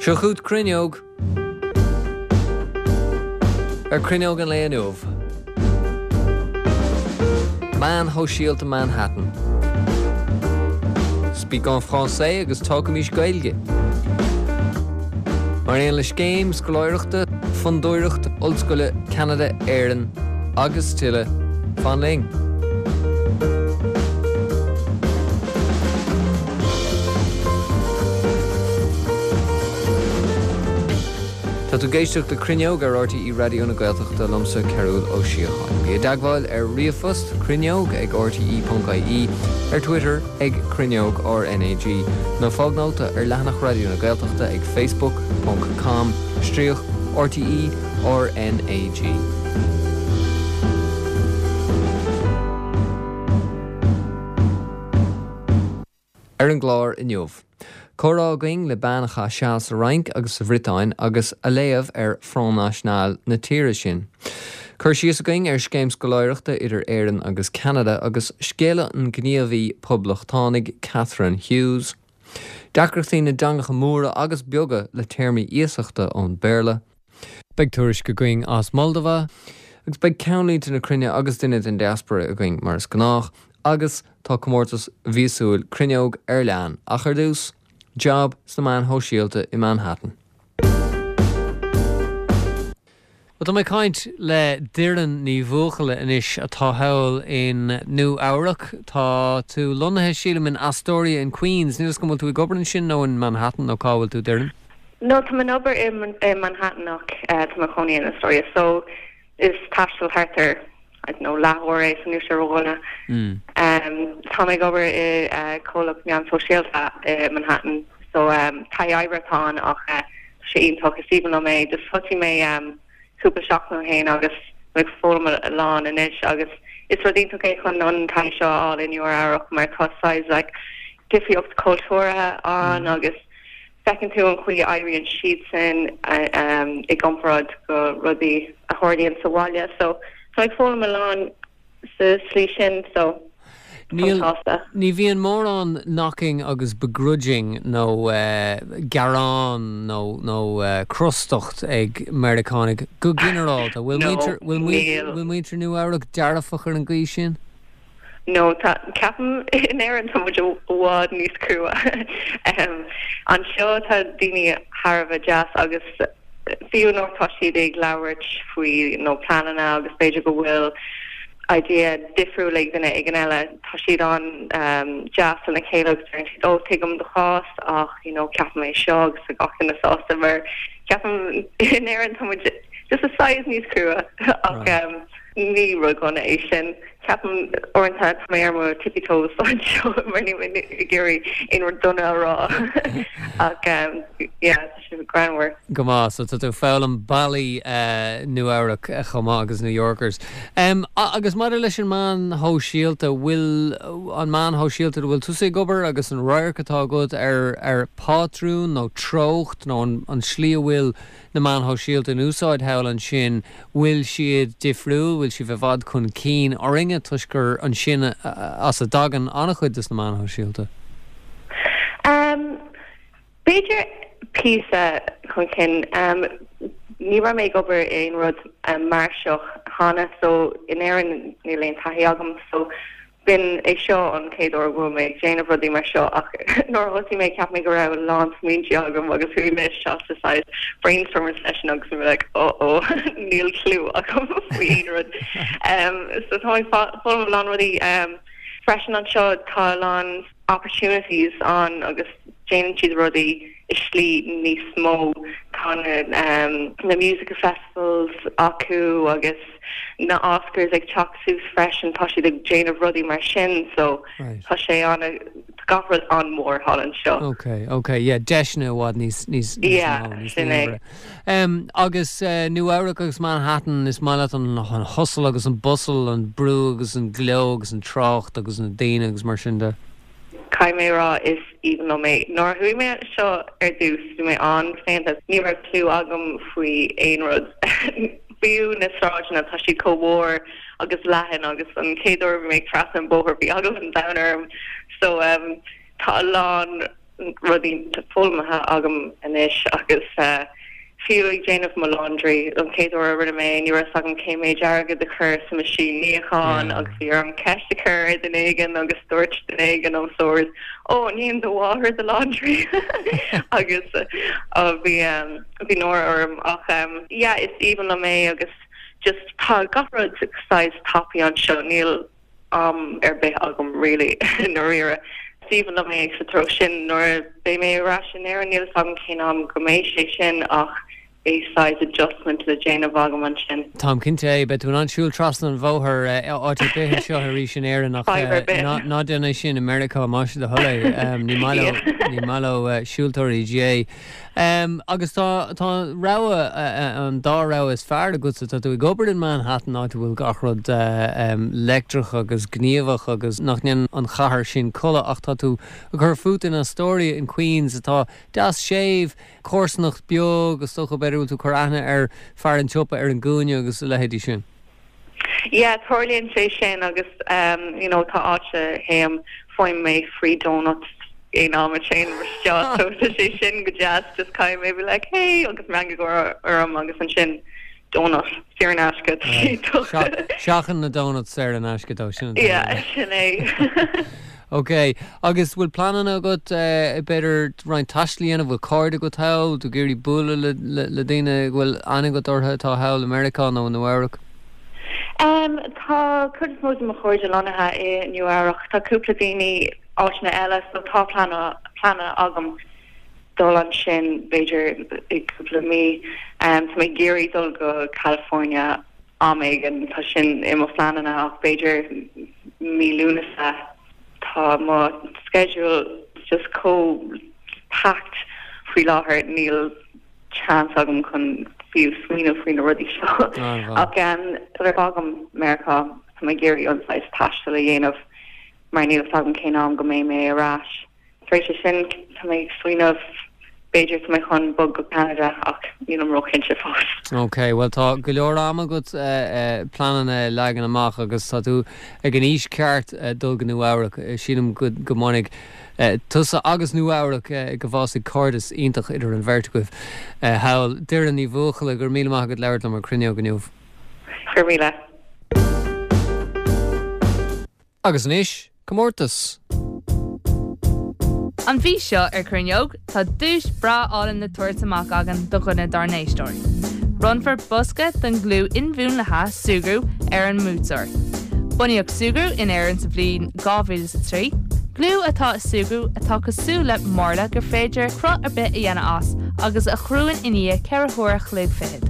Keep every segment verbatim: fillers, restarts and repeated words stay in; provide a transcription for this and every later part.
Seo chugat Cruinneog ar Cruinneog an lae inniu. Meáin shóisialta Manhattan. Speak en français agus tógaimis Gaeilge. Mar aon le scéim scoláireachta, fondúireacht Ollscoile Ceanada Éireann agus tuilleadh fan linn. Tá tú ag éisteacht le Cruinneog ar RTÉ Raidió na Gaeltachta liomsa Cearúl Ó Síocháin. Bí i dteagmháil ar ríomhphost cruinneog ag rte.ie, ar Twitter ag Cruinneog RNAG, nó fág nóta ar leathanach Raidió na Gaeltachta ag facebook ponc com stríoc RTE RNAG. Ar an gclár inniu. Comhrá againn le bean a chaith seal sa Fhrainc agus sa Bhriotáin agus a léamh ar Front National na tíre sin. Cur síos againn ar scéim scoláireachta idir Éirinn agus Ceanada agus scéala an ghníomhaí poblachtánaigh Catherine Hughes. Deacrachtaí na dteangacha móra agus beaga le téarmaí iasachta ón Béarla. Beidh tuairisc againn as Moldova agus beidh ceannlínte na cruinne agus duine den diaspora againn mar is gnách agus tá comórtas mhíosúil Cruinneog ar lean ach ar dtús, jab sna meáin shóisialta i Manhattan. Bhuel, tá mé ag caint le Doireann Ní Bhuachalla anois atá thall in Nua Eabhrac. Tá tú lonnaithe, sílim, in Astoria in Queens. Níl a fhios agam an bhfuil tú ag obair ansin nó in Manhattan nó cá bhfuil tú, Doireann? No, tá mé ag obair i Manhattan ach tá mé i mo chónaí in Astoria so is taisteal thart ar I don't know, leathuair é so níl sé ródhona. Tá mé ag obair i comhlacht meán sóisialta i Manhattan so taithí oibre atá ann ach tá sé iontach, is aoibhinn liom é. Just thosaigh mé cúpla seachtain ó shin agus tá mé ag foghlaim a lán anois agus is rud iontach é chun an taithí seo a fháil i Nua Eabhrac mar tá saghas like difríocht cultúrtha ann agus feiceann tú an chaoi a oibríonn siadsan i gcomparáid go rudaí a tharlaíonn sa bhaile so tá mé ag foghlaim a lán sa slí sin so táim sásta. Ní bhíonn mórán knocking agus begrudging nó gearán nó nó crostacht ag Meiriceánaigh go ginearálta. Bhfuil muintir bhfuil muintir Nua Eabhrac dearfach ar an gcaoi sin? No, tá, ceapaim in Éirinn tá muid i bhfad níos crua. Anseo tá daoine thar a bheith deas agus fiú nuair atá siad ag labhairt faoi nó pleananna agus b'fhéidir go bhfuil idea difriúil ag duine éigin eile, tá siad an-deas lena chéile agus deireann siad oh tuigim do chás ach you know ceapaim é seo agus tá gach duine sásta mar ceapaim in Éirinn tá muid just a saghas níos crua ach ní rud dona é sin. Ceapaim uaireanta tá mé ar mo tippy toes anseo mar níl mé ag iarraidh aon rud dona a rá ach yeah tá sé greannmhar. Go maith, so tá tú ag foghlaim bealaí Nua Eabhrac chomh maith agus New Yorkers. Agus maidir leis an meán shóisialta, bhfuil an meán shóisialta a bhfuil tusa ag obair agus an radharc atá agat ar ar pátrún nó treocht nó an slí a bhfuil na meáin shóisialta in úsáid thall ansin, bhfuil siad difriúil, bhfuil siad i bhfad chun cinn orainne toisc gur ansin as a dtagann an-chuid de na meáin shóisialta? B'fhéidir píosa chun cinn. Ní raibh mé ag obair i aon rud mar seo cheana so in Éirinn níl aon taithí agam so B'in é seo an chéad uair go bhfuil mé ag déanamh rudaí mar seo ach nuair a thosaigh mé cheap mé go raibh a lán smaointe agam agus chuaigh mé isteach sa saghas brainstorming session agus bhí mé like oh oh níl clue agam faoi aon rud. So tá mé ag foghlaim a lán rudaí freisin anseo tá a lán opportunities ann agus déanann siad rudaí i slí níos mó. Tá na na music festivals acu agus na Oscars ag teacht suas freisin, tá siad ag déanamh rudaí mar sin so tá sé an tá gach rud an-mhór thall anseo. Ok, ok, yeah, deiseanna i bhfad níos níos níos Yeah, mó, níos sin é. líonmhaire. Um, agus uh, Nua Eabhrac agus Manhattan, is maith leat an, an hustle agus an bustle, an brú agus an gleo agus an trácht agus na daoine agus mar sin de. Caithfidh mé a rá is aoibhinn liom é. Nuair a chuaigh mé anseo ar dtús bhí mé an-chlaonta, ní raibh clue agam faoi aon rud. Fiú na sráideanna, tá siad chomh mór agus leathan agus an chéad uair a bhí mé ag trasna an bóthar bhí eagla an domhain orm. So tá a lán rudaí foghlamtha agam anois agus uh, fiú ag déanamh mo laundry an chéad uair a rinne mé ní raibh agam cé méid airgead a chur sa machine níocháin agus bhí orm ceist a chur ar dhuine éigin agus dúirt duine éigin an sórt ó níonn do mháthair do laundry agus uh, bhí um, bhí náire orm ach um, yeah, is aoibhinn liom é agus just tá gach rud saghas tapaidh anseo níl am ar bith agam really dáiríre. Is aoibhinn liom é sa treo sin nuair beidh mé ar ais in Éirinn níl agam cén am go mbeidh sé sin ach é saghas adjustment le déanamh agam ansin. Táim cinnte beidh tú in ann siúl trasna an bhóthair áit ar bith seo arís in Éirinn ach ná déan é sin i Meiriceá más do thoil é ní ní maith leo siúltóirí G. Um, agus tá tá rogha an dá rogha is fearr agat tá tú ag obair in Manhattan áit bhfuil gach rud um, leictreach agus gníomhach agus nach ndéanann an chathair sin codladh ach tá tú ag cur fút in Astoria in Queens atá deas séimh comharsanacht beag agus dócha b'fhéidir tú cur aithne ar fear an tsiopa ar an gcúinne agus a leithéidí sin. Yeah, tarlaíonn sé sin agus um, you know, tá áit a théim faighim mé free donuts aon am a théim isteach so tá sé sin go deas just kind maybe like hey agus meangadh orm agus ansin donut saor in aisce. Seachain na donuts saor in aisce dó sin. Yeah, sin é. Ok, agus bhfuil pleananna agat uh, b'fhéidir roinnt taistil a dhéanamh bhfuil cairde agat thall tú ag iarraidh bualadh le, le, le daoine bhfuil aithne agat orthu atá thall i Meiriceá nó Nua Eabhrac? Um, tá cuid is mó de mo chairde lonnaithe i Nua Eabhrac tá cúpla daoine áiteanna eile so tá plean agam dul ansin b'fhéidir i cúpla mí um, tá mé ag iarraidh dul go California am éigin tá sin i mo phleananna ach b'fhéidir mí Lúnasa tá mo schedule just chomh packed faoi láthair níl chance agam chun fiú smaoineamh faoi na rudaí seo ach um, fágaim Meiriceá tá mé ag iarraidh an saghas taistil a dhéanamh mar níl agam cén am go mbeidh mé ar ais. Tar éis sin tá mé ag smaoineamh b'fhéidir tá mé chun bog go Canada ach níl mé róchinnte fós. Ok, well tá go leor ama agat uh, uh, pleananna leagan amach agus tá tú ag an aois ceart uh, dul go Nua Eabhrac sílim go go mbainfidh uh, tusa agus Nua Eabhrac uh, go bhfásfaidh cairdeas iontach idir an bheirt agaibh uh, thall Doireann Ní Bhuachalla gur míle maith agat labhairt liom ar Cruinneog inniu. Gur míle. Agus anois, comórtas. An mhí seo ar Cruinneog tá duais bhreá álainn le tabhairt amach againn do dhuine dár n-éisteoirí. Bronnfar bosca den gliú inmhúnlaithe Súgarú ar an mbuaiteoir. Bunaíodh Súgarú in Éirinn sa bhliain dhá mhíle a trí, Gliú atá i Súgarú atá cosúil le marla gur féidir cruth ar bith a dhéanamh as agus a chruann i ndiaidh ceithre huaire a chloig fichead.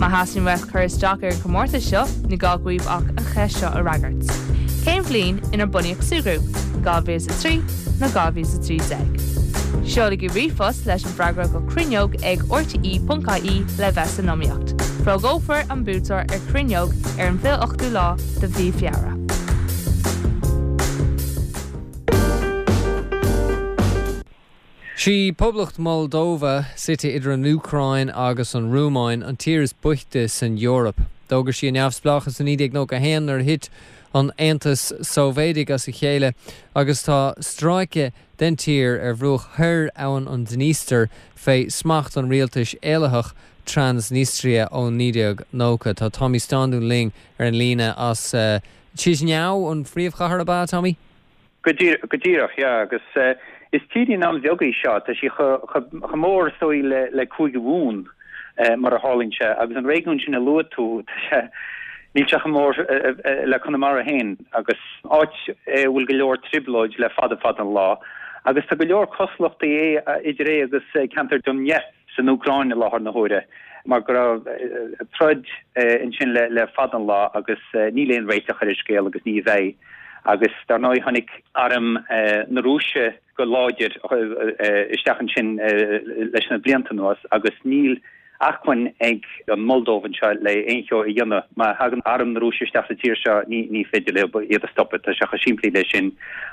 Má theastaíonn uait cur isteach ar an chomórtas seo ní gá daoibh ach an cheist seo a fhreagairt. Cén bhliain inar bunaíodh Súgarú, dhá mhíle a trí nó dhá mhíle a trí déag. Seolaigí ríomhphost leis an bhfreagra go cruinneog ag rte.ie le bheith san iomaíocht. Fógrófar an buaiteoir ar Cruinneog ar an bhfiche ochtú lá de mhí Feabhra. Sí Poblacht Moldova suite idir an Úcráin agus an Rúmáin an tír is boichte san Eoraip. D'fhógair sí a neamhspleáchas in naoi déag nócha haon nuair a thit an Aontas Sóivéadach as a chéile agus tá stráice den tír ar bhruach thoir abhainn an Dniester fé smacht an rialtais éalaitheach Transnistria ó naoi déag nócha. Tá Tommy Standún linn ar an líne as uh, Chisinau an phríomhchathair ab ea, Tommy? Go díreach, yeah, agus uh, is tírín an-bheag í seo, tá sí chomh mór is dóigh le le Cúige Mumhan uh, mar a tharlaíonn sé, agus an réigiún sin a luaigh tú, níl sé chomh mór uh, uh, le Conamara féin agus áit uh, bhfuil go leor trioblóid le fada fada an lá, agus tá go leor cosúlachtaí é idir é agus ceantar Donetsk san Úcráin i láthair na huaire. mar go raibh troid ansin le le fada an lá agus níl aon réiteach ar an scéal agus ní bheidh. Agus dar ndóigh tháinig arm na Rúise go láidir isteach ansin leis na blianta anuas agus níl acmhainn ag an Moldóiv anseo le aon cheo a dhéanamh. Má thagann arm na Rúise isteach sa tír seo ní ní féidir leo iad a stopadh, tá sé chomh simplí leis sin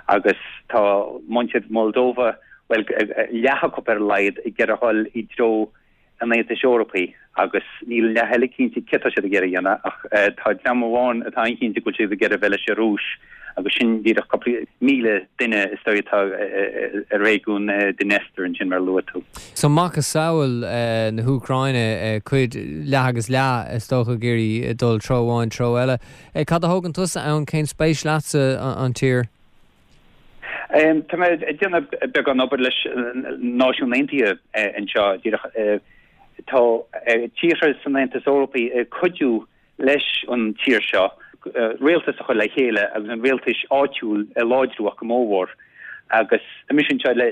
agus tá muintir Moldova bhuel leath acu ar a laghad ag iarraidh a dhul i dtreo an Aontais Eorpaigh agus níl an leath eile cinnte céard atá siad ag iarraidh a dhéanamh ach tá dream amháin atá an-chinnte go bhfuil siad ag iarraidh a bheith leis an Rúis agus sin díreach cúpla míle duine is dóigh atá i réigiún Dniester ansin mar a luaigh tú. So macasamhail na hÚcráine cuid leath agus leath is dócha ag iarraidh dul treo amháin treo eile. Cad a thógann tusa ann cén spéis leatsa an tír? Tá mé ag déanamh beagán obair leis Náisiúin Aontaithe anseo díreach tá tíortha san Aontas Eorpaí ag cuidiú leis an tír seo rialtas a chur le chéile agus an rialtais áitiúil a láidriú ach go mórmhór agus tá mise anseo le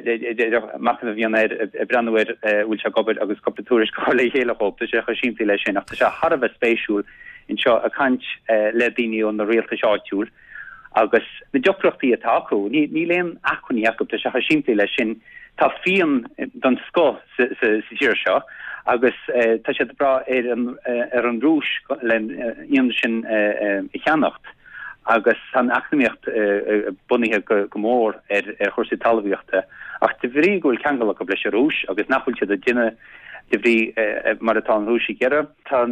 machnamh a dhéanamh air ag breathnú ar bhfuil sé ag obair agus cúpla tuairisc a chur le chéile dhóibh. Tá sé chomh simplí leis sin ach tá sé thar a bheith spéisiúil anseo ag caint le daoine ó na rialtais áitiúil agus na deacrachtaí atá acu. Níl aon acmhainní acu, tá sé chomh simplí leis sin. Tá fíon den scoth sa tír seo agus tá siad ag brath ar an ar an Rúis le fíon sin a cheannacht agus tá an eacnamaíocht bunaithe go mór ar ar chúrsaí talmhaíochta. Ach de bhrí go bhfuil ceangal acu leis an Rúis agus nach bhfuil siad ag déanamh de bhrí mar atá an Rúis ag iarraidh, tá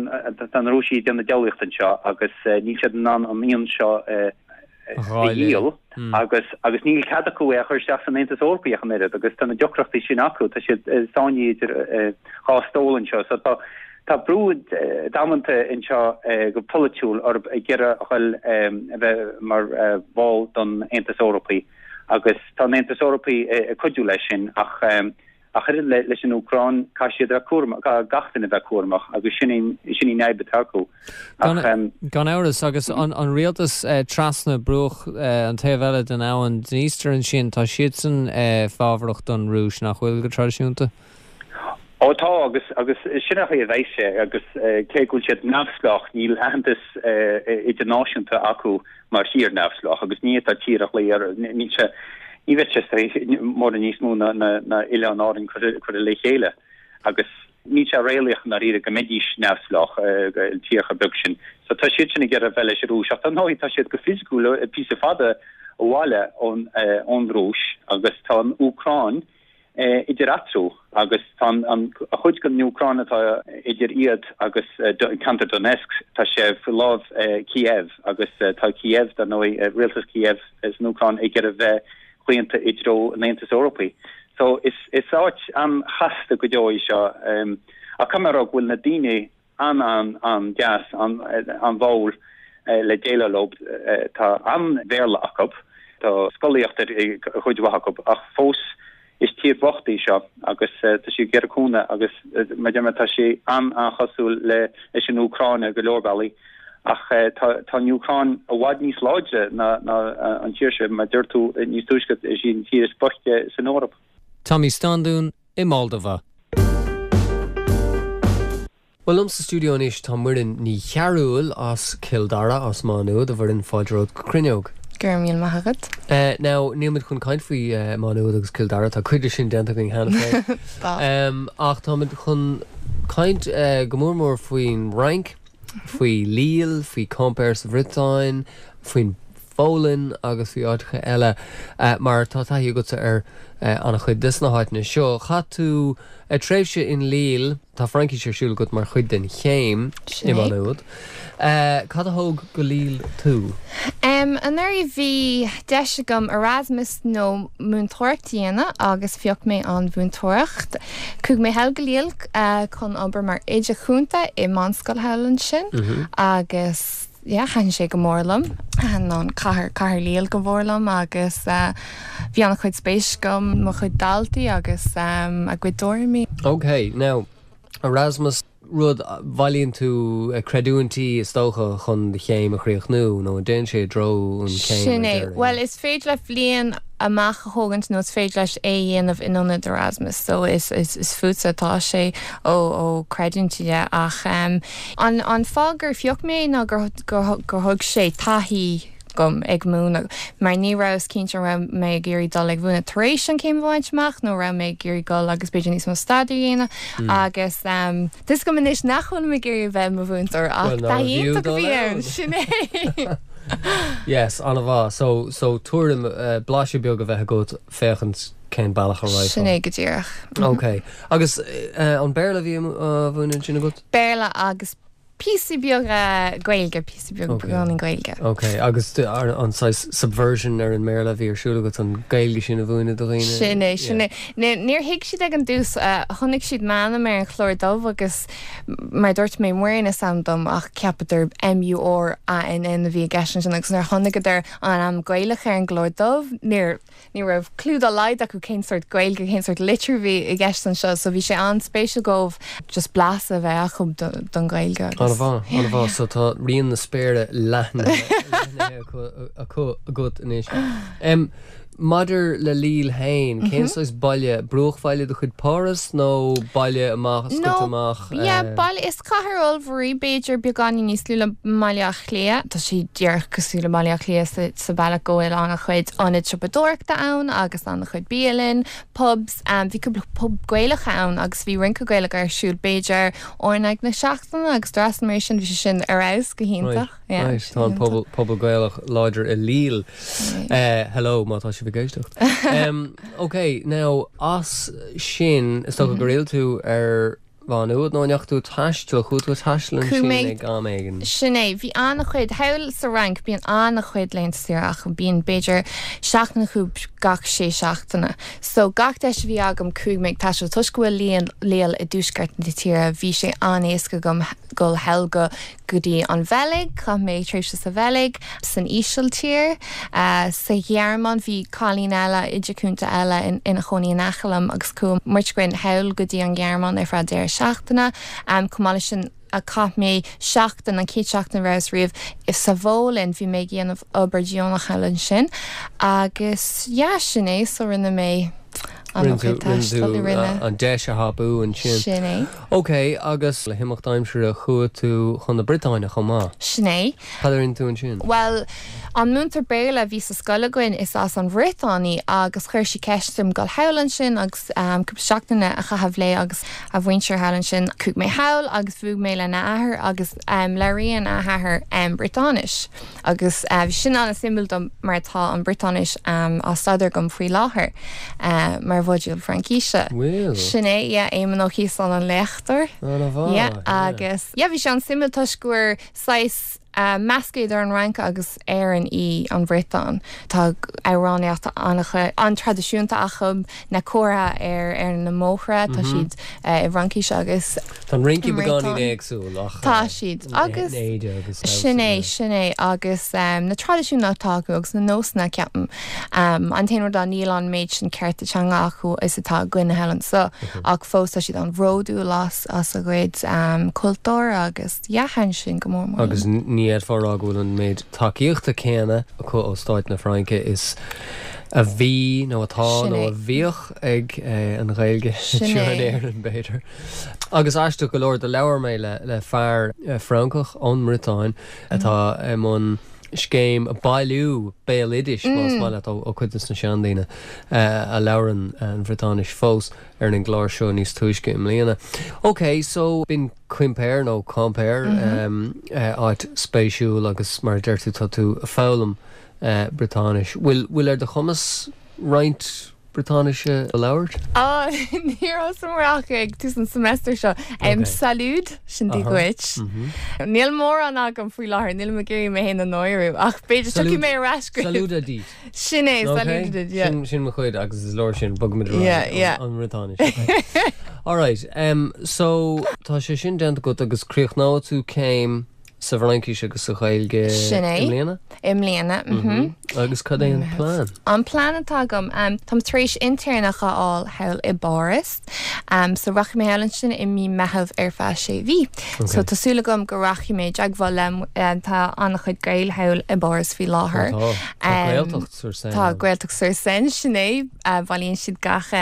tá na Rúisigh ag déanamh diabhlaíocht anseo agus níl siad in ann an fhíon seo a dhíol agus agus níl cead acu é a chur isteach san Aontas Eorpaí ach an oiread agus tá na deacrachtaí sin acu, tá siad sáinnithe idir dhá stól anseo. So tá tá brú damanta anseo go polaitiúil orthu ag iarraidh a dhul a bheith mar bhall don Aontas Eorpaí agus tá an Aontas Eorpaí ag cuidiú leis sin ach Ach oiread leis an Úcráin, caithfidh siad a bheith cúramach, caithfidh gach duine a bheith cúramach agus sin í sin í an fhadhb atá acu. Ach. Gan amhras, agus an rialtas trasna bruach an taobh eile den abhainn Dniester ansin, tá siadsan fábharach don Rúis, nach bhfuil, go traidisiúnta? Ó tá, agus agus sin an chaoi a bheidh sé, agus cé go bhfuil siad neamhspleách, níl aitheantas idirnáisiúnta acu mar thír neamhspleách agus ní fhéadfá tír a ghlaoch air, níl sé Ní bheadh sé mórán níos mó ná Oileáin Árann curtha le chéile agus níl sé réalaíoch i ndáiríre go mbeidís neamhspleách, an tír chomh beag sin. So tá siad sin ag iarraidh bheith leis an Rúis ach dar ndóigh tá siad go fisiciúil píosa fada abhaile ón Rúis agus tá an Úcráin idir eatarthu agus tá an chuid den Úcráin atá idir iad agus ceantar Donetsk, tá sé faoi láimh Kiev agus tá Kiev, dar ndóigh, rialtas Kiev san Úcráin ag iarraidh bheith claonta i dtreo an Aontais Eorpaigh. So is is áit an-chasta go deo í seo ach caithfidh mé a rá go bhfuil na daoine an-an-an-deas, an-bháúil le déileáil leo. Tá an-Bhéarla acu, tá scolaíocht ar chuid mhaith acu ach fós is tír bhocht í seo agus tá sí ag iarraidh cúnamh agus mar a deir mé tá sé an-an-chosúil le leis an Úcráin ar go leor bealaí ach tá tá an Úcráin i bhfad níos láidre ná ná an tír seo mar a deir tú níos túisce is í an tír is boichte san Eoraip. Tommy Standún i Moldova. Bhuel, liom sa stiúideo anois tá Muireann Ní Chearúil as Cill Dara, as Má Nuad, a Mhuireann, fáilte romhat go Cruinneog. Go raibh míle maith agat. Now, níl muid chun caint faoi Má Nuad agus Cill Dara, tá cuid de sin déanta againn cheana féin. Tá. Ach táimid chun caint go mór mór faoin Fhrainc, faoi Lille, faoi Quimper sa Bhriotáin, faoin Pholainn agus faoi áiteacha eile mar tá taithí agatsa ar an-chuid des na háiteanna seo. Chaith tú tréimhse in Lille, tá Fraincis ar siúl agat mar chuid den chéim i Sin Má é. Nuad. Cad a thóg go Lille tú? Anuraidh bhí deis agam Erasmus nó múinteoireacht a dhéanamh agus phioc mé an mhúinteoireacht. Chuaigh mé thall go Lille chun obair mar oide cúnta i meánscoil thall ansin agus yeah, thaitin sé go mór liom. Thaitin an cathair, cathair Lille go mhór liom agus bhí an-chuid spéis agam mo chuid daltaí agus a gcuid tuairimí. Ok, now, Erasmus, rud, bailíonn tú creidiúintí is dócha chun do chéim a chríochnú nó an dtéann sé i dtreo an chéim Sin ar é. deireadh? Bhuel, is féidir leat bliain amach a thógaint nó is féidir leat é a dhéanamh in ionad Erasmus so is is is fútsa atá sé ó ó creidiúintí de ach um, an an fáth gur phioc mé ná gur gur gur thug sé taithí dom ag múineadh mar ní rabhas cinnte an raibh mé ag iarraidh dul ag múineadh tar éis an chéim a bhaint amach nó raibh mé ag iarraidh dul agus b'fhéidir níos mó staidéir a dhéanamh agus um, tá a fhios agam anois nach bhfuil mé ag iarraidh a bheith i mo mhúinteoir ach Well, nárbh taithí fhiú iontach a dul bhí ann ann. sin é. Yes, an-mhaith. So, so tuairim, uh, blaiseadh beag a bheith agat féachaint cén bealach a raghfá. Sin é go díreach. Ok. Agus uh, an Béarla a bhí á mhúineadh ansin agat? Béarla agus píosa beag Gaeilge, píosa beag beagáinín Gaeilge. Ok, agus an saghas subversion ar an mBéarla a bhí ar siúl agat an Ghaeilge sin a mhúineadh do dhaoine? Sin é, sin é. Níor thuig siad ag an dtús, chonaic siad m'ainm ar an chlár dubh agus mar dúirt mé Muireann is ainm dom ach cheapadar M-U-R-A-N-N a bhí i gceist ansin agus nuair a chonaiceadar an ainm Gaelach ar an gclár dubh níor ní raibh clue dá laghad acu cén sórt Gaeilge, cén sórt litriú a bhí i gceist anseo so bhí sé an-spéisiúil dóibh just blas a bheith acu don Ghaeilge agus. An-mhaith, an-mhaith. So tá rian na spéire leathnaithe acu agat anois. Um, maidir le Lille féin, cén saghas baile, bruachbhaile de chuid Páras nó baile amach, scoite amach? Yeah, baile, is cathair ollmhór í, b'fhéidir beagáinín níos lú le Baile Átha Cliath. Tá sé díreach cosúil le Baile Átha Cliath sa, sa bhealach go bhfuil an-chuid ionad siopadóireachta ann agus an-chuid bialann, pubs. Um, bhí cúpla pub Gaelach ann agus bhí rince Gaelach ar siúl b'fhéidir uair in aghaidh na seachtaine agus d'fhreastail mé air sin, bhí sé sin ar fheabhas go hiontach. Right, yeah, right. Tá an pobal, pobal Gaelach láidir i Lille. Uh, hello, má tá sibh ag éisteacht. Um, ok, now, as sin, is dócha gur fhill tú ar Mhá Nuad nó an ndeachaigh tú ag taisteal, chuaigh tú ag taisteal ansin ag am éigin? Sin é, bhí an-chuid, thall sa Fhrainc bíonn an-chuid laethanta saoire acu, bíonn b'fhéidir seachtain acu gach sé seachtaine. So gach deis a bhí agam chuaigh mé ag taisteal toisc go bhfuil Lille, Lille i dtuaisceart na tíre, bhí sé an-éasca agam dul thall go go dtí an Bheilg, chaith mé tréimhse sa Bheilg, san Ísiltír, sa Ghearmáin, bhí cailín eile, oide cúnta eile ina chónaí in aice liom agus chuaigh muid againn thall go dtí an Ghearmáin ar feadh deireadh seachtaine. Chomh maith leis sin chaith mé seachtain, an chéad seachtain a rabhas riamh sa Pholainn, bhí mé ag déanamh obair dheonach thall ansin agus yeah, sin é, so rinne mé an-chuid taistil, rinne. An deis a thapú ansin. Sin é. Ok, agus le himeacht aimsire chuaigh tú chun na Briotáine chomh maith. Sin é. Cad a rinne tú ansin? Bhuel, an múinteoir Béarla a bhí sa scoil againn is as an Bhriotáin í agus chuir sí ceist orm dul thall ansin agus cúpla seachtaine a chaitheamh léi agus a mhuintir thall ansin. Chuaigh mé thall agus bhuail mé lena athair agus labhraíonn a hathair Briotáinis agus bhí sin an-suimiúil dom mar tá an Briotáinis á staidéar agam faoi láthair mar mhodúl Fraincise. Bhfuil? Sin é, yeah, Éamonn Ó Ciosáin an léachtóir. An-mhaith, Yeah, agus yeah, bhí sé an-suimiúil toisc gur saghas meascadh idir an Fhrainc agus Éirinn í an Bhriotáin. Tá amhránaíocht an-traidisiúnta acu, na comharthaí ar ar na mbóithre, tá siad i bhFraincis agus Tá an rince beagáinín éagsúil ach Tá siad agus sin é, sin é agus na traidisiúin atá acu agus na nósanna ceapaim. An t-aon rud ná níl an méid sin cearta teanga acu is atá againne thall anseo ach fós tá siad an-bhródúil as as a gcuid cultúr agus yeah, thaitin sin go mór mór. Agus ní fhéadfá a rá go bhfuil an méid tacaíochta céanna acu ó stáit na Fraince is a bhí nó atá nó a bhíodh ag an Ghaeilge anseo in Éirinn, b'fhéidir. Agus aisteach go leor, do labhair mé le fear Francach ón mBriotáin atá i mbun scéim bailiú béaloidis, más maith leat, ó chuid de na seandaoine a labhrann an Bhriotáinis fós ar an gclár seo níos túisce i mbliana. Ok, so b'in Quimper nó Quimper, áit spéisiúil agus mar a deir tú tá tú ag foghlaim Briotáinis. Bhfuil bhfuil ar do chumas roinnt Briotáinise a labhairt? Á, níor thosaigh mé ach ag tús an semester seo. Salut, sin Dia duit. Níl mórán agam faoi láthair, nílim ag iarraidh mé féin a náiriú, ach b'fhéidir tiocfaidh mé ar ais go. Salut à dit. Sin é, salut à dit, yeah. Sin, sin mo chuid agus is leor sin, bogfaimid ar aghaidh an Bhriotáinis. Okay. Alright, um, so tá sé sin déanta agat agus críochnóidh tú céim sa bhFraincis agus sa Ghaeilge Sin é. i mbliana? I mbliana, mhm. Agus cad é an plean? An plean atá agam, táim tar éis intéirneach a fháil thall i bPáras. So rachaidh mé thall ansin i mí Meitheamh ar feadh sé mhí. So tá súil agam go rachaidh mé i dteagmháil le, tá an-chuid Gael thall i bPáras faoi láthair. Tá, tá Gaeltacht sur Seine. Tá Gaeltacht sur Seine, sin é. Bailíonn siad gach,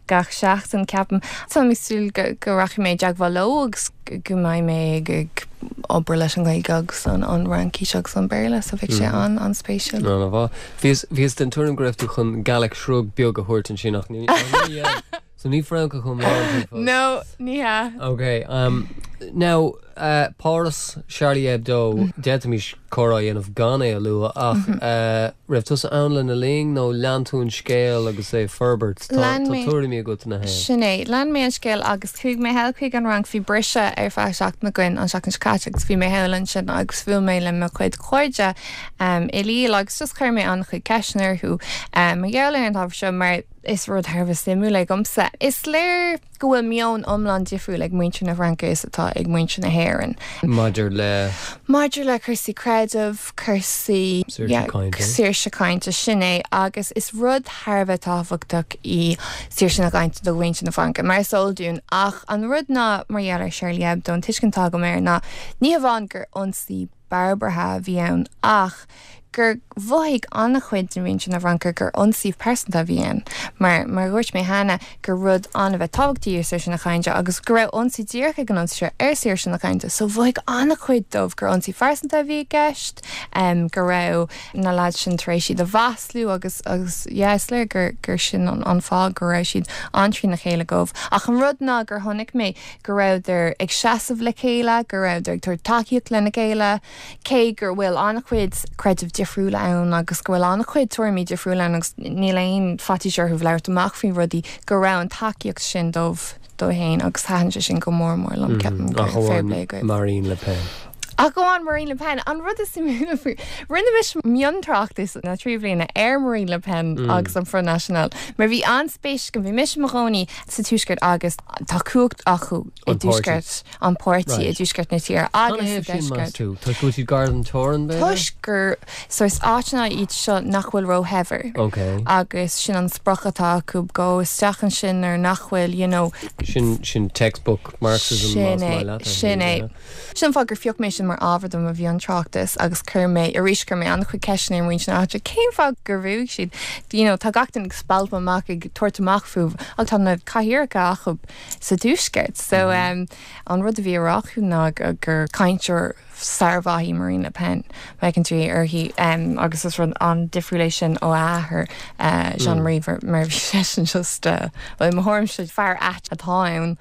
gach seachtain, ceapaim. Táim ag súil go, go rachaidh mé i dteagmháil leo agus go mbeidh mé ag obair leis an Ghaeilge agus an an Fhraincis agus an Béarla, so bheadh sé an an-spéisiúil. An-mhaith. Bhíos bhíos den tuairim go raibh tú chun Gallic shrug beag a thabhairt ansin ach ní ní so ní Francach iomlán tú fós. No, ní hea. Ok, um, now Páras Charlie Hebdo d'fhéadfaimis comhrá a dhéanamh gan é a lua ach raibh tusa ann lena linn nó lean tú an scéal agus é ag forbairt Tá tuairimí agat ina thaobh. Sin é, lean mé an scéal agus chuaigh mé thall chuig an Fhrainc bhí briseadh ar feadh seachtain againn an seachtain seo caite agus bhí mé thall ansin agus bhuail mé le mo chuid cairde i Lille agus just chuir mé an-chuid ceisteanna orthu mar gheall ar an ábhar seo mar is rud thar a bheith suimiúil é domsa. Is léir go bhfuil meon iomlán difriúil ag muintir na Fraince is atá ag muintir na hÉireann. Maidir le Maidir le cúrsaí creidimh, cúrsaí saoirse cainte sin é agus is rud thar a bheith tábhachtach í saoirse na cainte do mhuintir na Fraince mar is eol dúinn ach an rud ná mar gheall ar Charlie Hebdo an tuiscint atá agam air ná ní hamháin gur ionsaí barbartha a bhí ann ach gur mhothaigh an-chuid de mhuintir na Fraince gur ionsaí pearsanta a bhí ann, mar mar a dhúirt mé cheana, gur rud an-bheith tábhachtach í saoirse na cainte agus go raibh ionsaí díreach ag an ionsaí seo ar saoirse na cainte, so mhothaigh an-chuid dóibh gur ionsaí phearsanta a bhí i gceist, go raibh na lads sin tar éis iad a mhaslú agus agus yeah is léir gur gur sin an an fáth go raibh siad an-trína chéile dóibh. Ach an rud ná gur chonaic mé go rabhadar ag seasamh le chéile, go rabhadar ag tabhairt tacaíocht lena chéile, cé gur bhfuil an-chuid creidimh difriúla ann agus go bhfuil an-chuid tuairimí difriúla ann agus níl aon faitíos orthu labhairt amach faoi rudaí, go raibh an tacaíocht sin dóibh dóibh féin agus thaitin sé sin go mór mór liom, ceapaim gur Ach fair play amháin agaibh. Marine Le Pen. Ach amháin Marine Le Pen, an rud is suimiúla faoi, rinne mise miontráchtas na trí bliana ar Marine Le Pen agus an Front National, mar bhí an-spéis agam, bhí mise i mo chónaí sa Tuaisceart agus tá cumhacht acu i An páirtí. dTuaisceart, an páirtí i Right. dTuaisceart na tíre Cad agus a sa thaobh sin meas Deisceart. tú? Toisc go bhfuil siad gar don teorainn b'fhéidir? Toisc gur sórt áiteanna iad seo nach bhfuil róshaibhir. Ok. Agus sin an sprioc atá acu go isteach ansin nuair nach bhfuil, you know, Sin sin textbook Marxism Sin más é, maith leat, sin é. yeah. Sin an fáth gur phioc mé sin mar ábhar do mo mhiontráchtas agus chuir mé arís chuir mé an-chuid ceisteanna ar muintir na háite cén fáth gur bhuaigh siad. You know, tá gach duine ag spalpadh amach ag tabhairt amach fúthu ach tá na cathaoireacha acu sa tuaisceart. So um, an rud a bhí á rá acu ná gur gur cainteoir sármhaith í Marine Le Pen feiceann tú uirthi um, agus is rud an-difriúil é sin ó athair uh, Jean-Marie mar mar bhí seisean just uh, well, mo thuairimse fear ait atá ann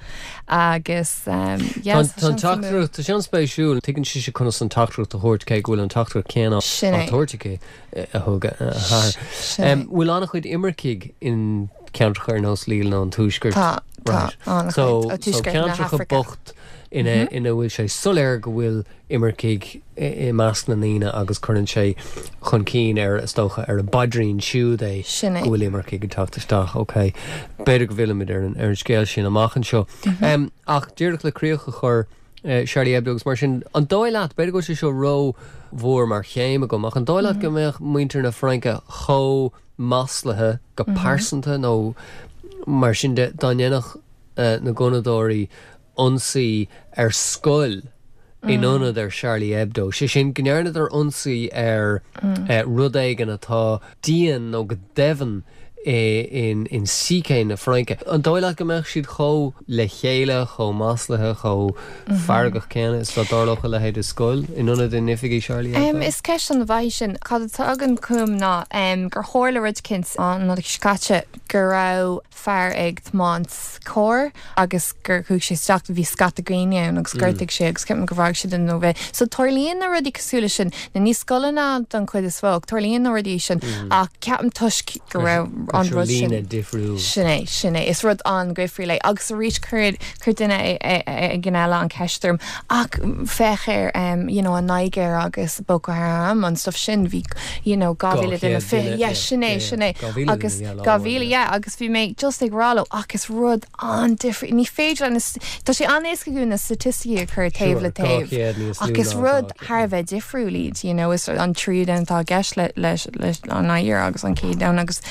agus um, yeah, Tá tá an sin suimiúil. teachtaireacht tá sin spéisiúil tuigeann sí conas an teachtaireacht a thabhairt cé go bhfuil an teachtaireacht céanna Sin á é. tabhairt aici a thug a hathair. Sin é. Um, Bhfuil an-chuid imircigh in ceantracha ar nós Lille nó an Tuaisceart? Tá tá Right. an-chuid So, ó so Tuaisceart na ceantracha hAfraice. bocht ina ina bhfuil sé soiléir go bhfuil imircigh i i measc na ndaoine agus cuireann sé chun cinn ar is dócha ar a bpaidrín siúd é Sin é. go bhfuil imircigh ag teacht isteach, ok. B'fhéidir go bhfillfimid ar an ar an scéal sin amach anseo. Um, ach díreach le críoch a chur uh, Charlie Hebdo agus mar sin an dóigh leat b'fhéidir go bhfuil sé seo ró-mhór mar chéim agam ach an dóigh leat go mbeadh muintir na Fraince chomh maslaithe go pearsanta nó mar sin de dá ndéanfadh uh, na gunnadóirí ionsaí ar scoil in ionad ar Charlie Hebdo. sé sin go ndearnadar ionsaí ar uh, rud éigin atá dian nó go deimhin in in psyche na Fraince. An dóigh leat go mbeadh siad chomh le chéile chomh maslaithe chomh feargach céanna is dá dtarlódh a leithéid i scoil in ionad in oifigí Charlie Um, Hebdo? is ceist an-mhaith sin cad atá agam chugam ná um, gur tharla rud éicint an Nollaig seo caite go raibh fear ag tiomáint carr agus gur chuaigh sé isteach bhí scata daoine ann agus ghortaigh sé agus ceapaim gur mharaigh sé duine nó bhí. So tarlaíonn na rudaí cosúil leis sin na ní scoileanna don chuid is mó, tarlaíonn na rudaí sin ach ceapaim toisc go raibh an rud sin líne difriúil. Sin é sin é is rud an-difriúil é agus arís chuir chuir duine éigin eile an cheist orm ach féach ar um, you know, an Nigéir agus Boko Haram an stuff sin bhí you know, dhá mhíle duine fi yeah, sin é sin é agus dhá mhíle yeah, agus bhí mé just ag rá leo ach is rud an-difriúil ní féidir le na- Tá sé an-éasca na staitisticí a chur taobh le taobh ach is rud thar a bheith difriúil iad you know, is an tríú domhan atá i gceist le leis leis an Nigéir agus an chéad domhan agus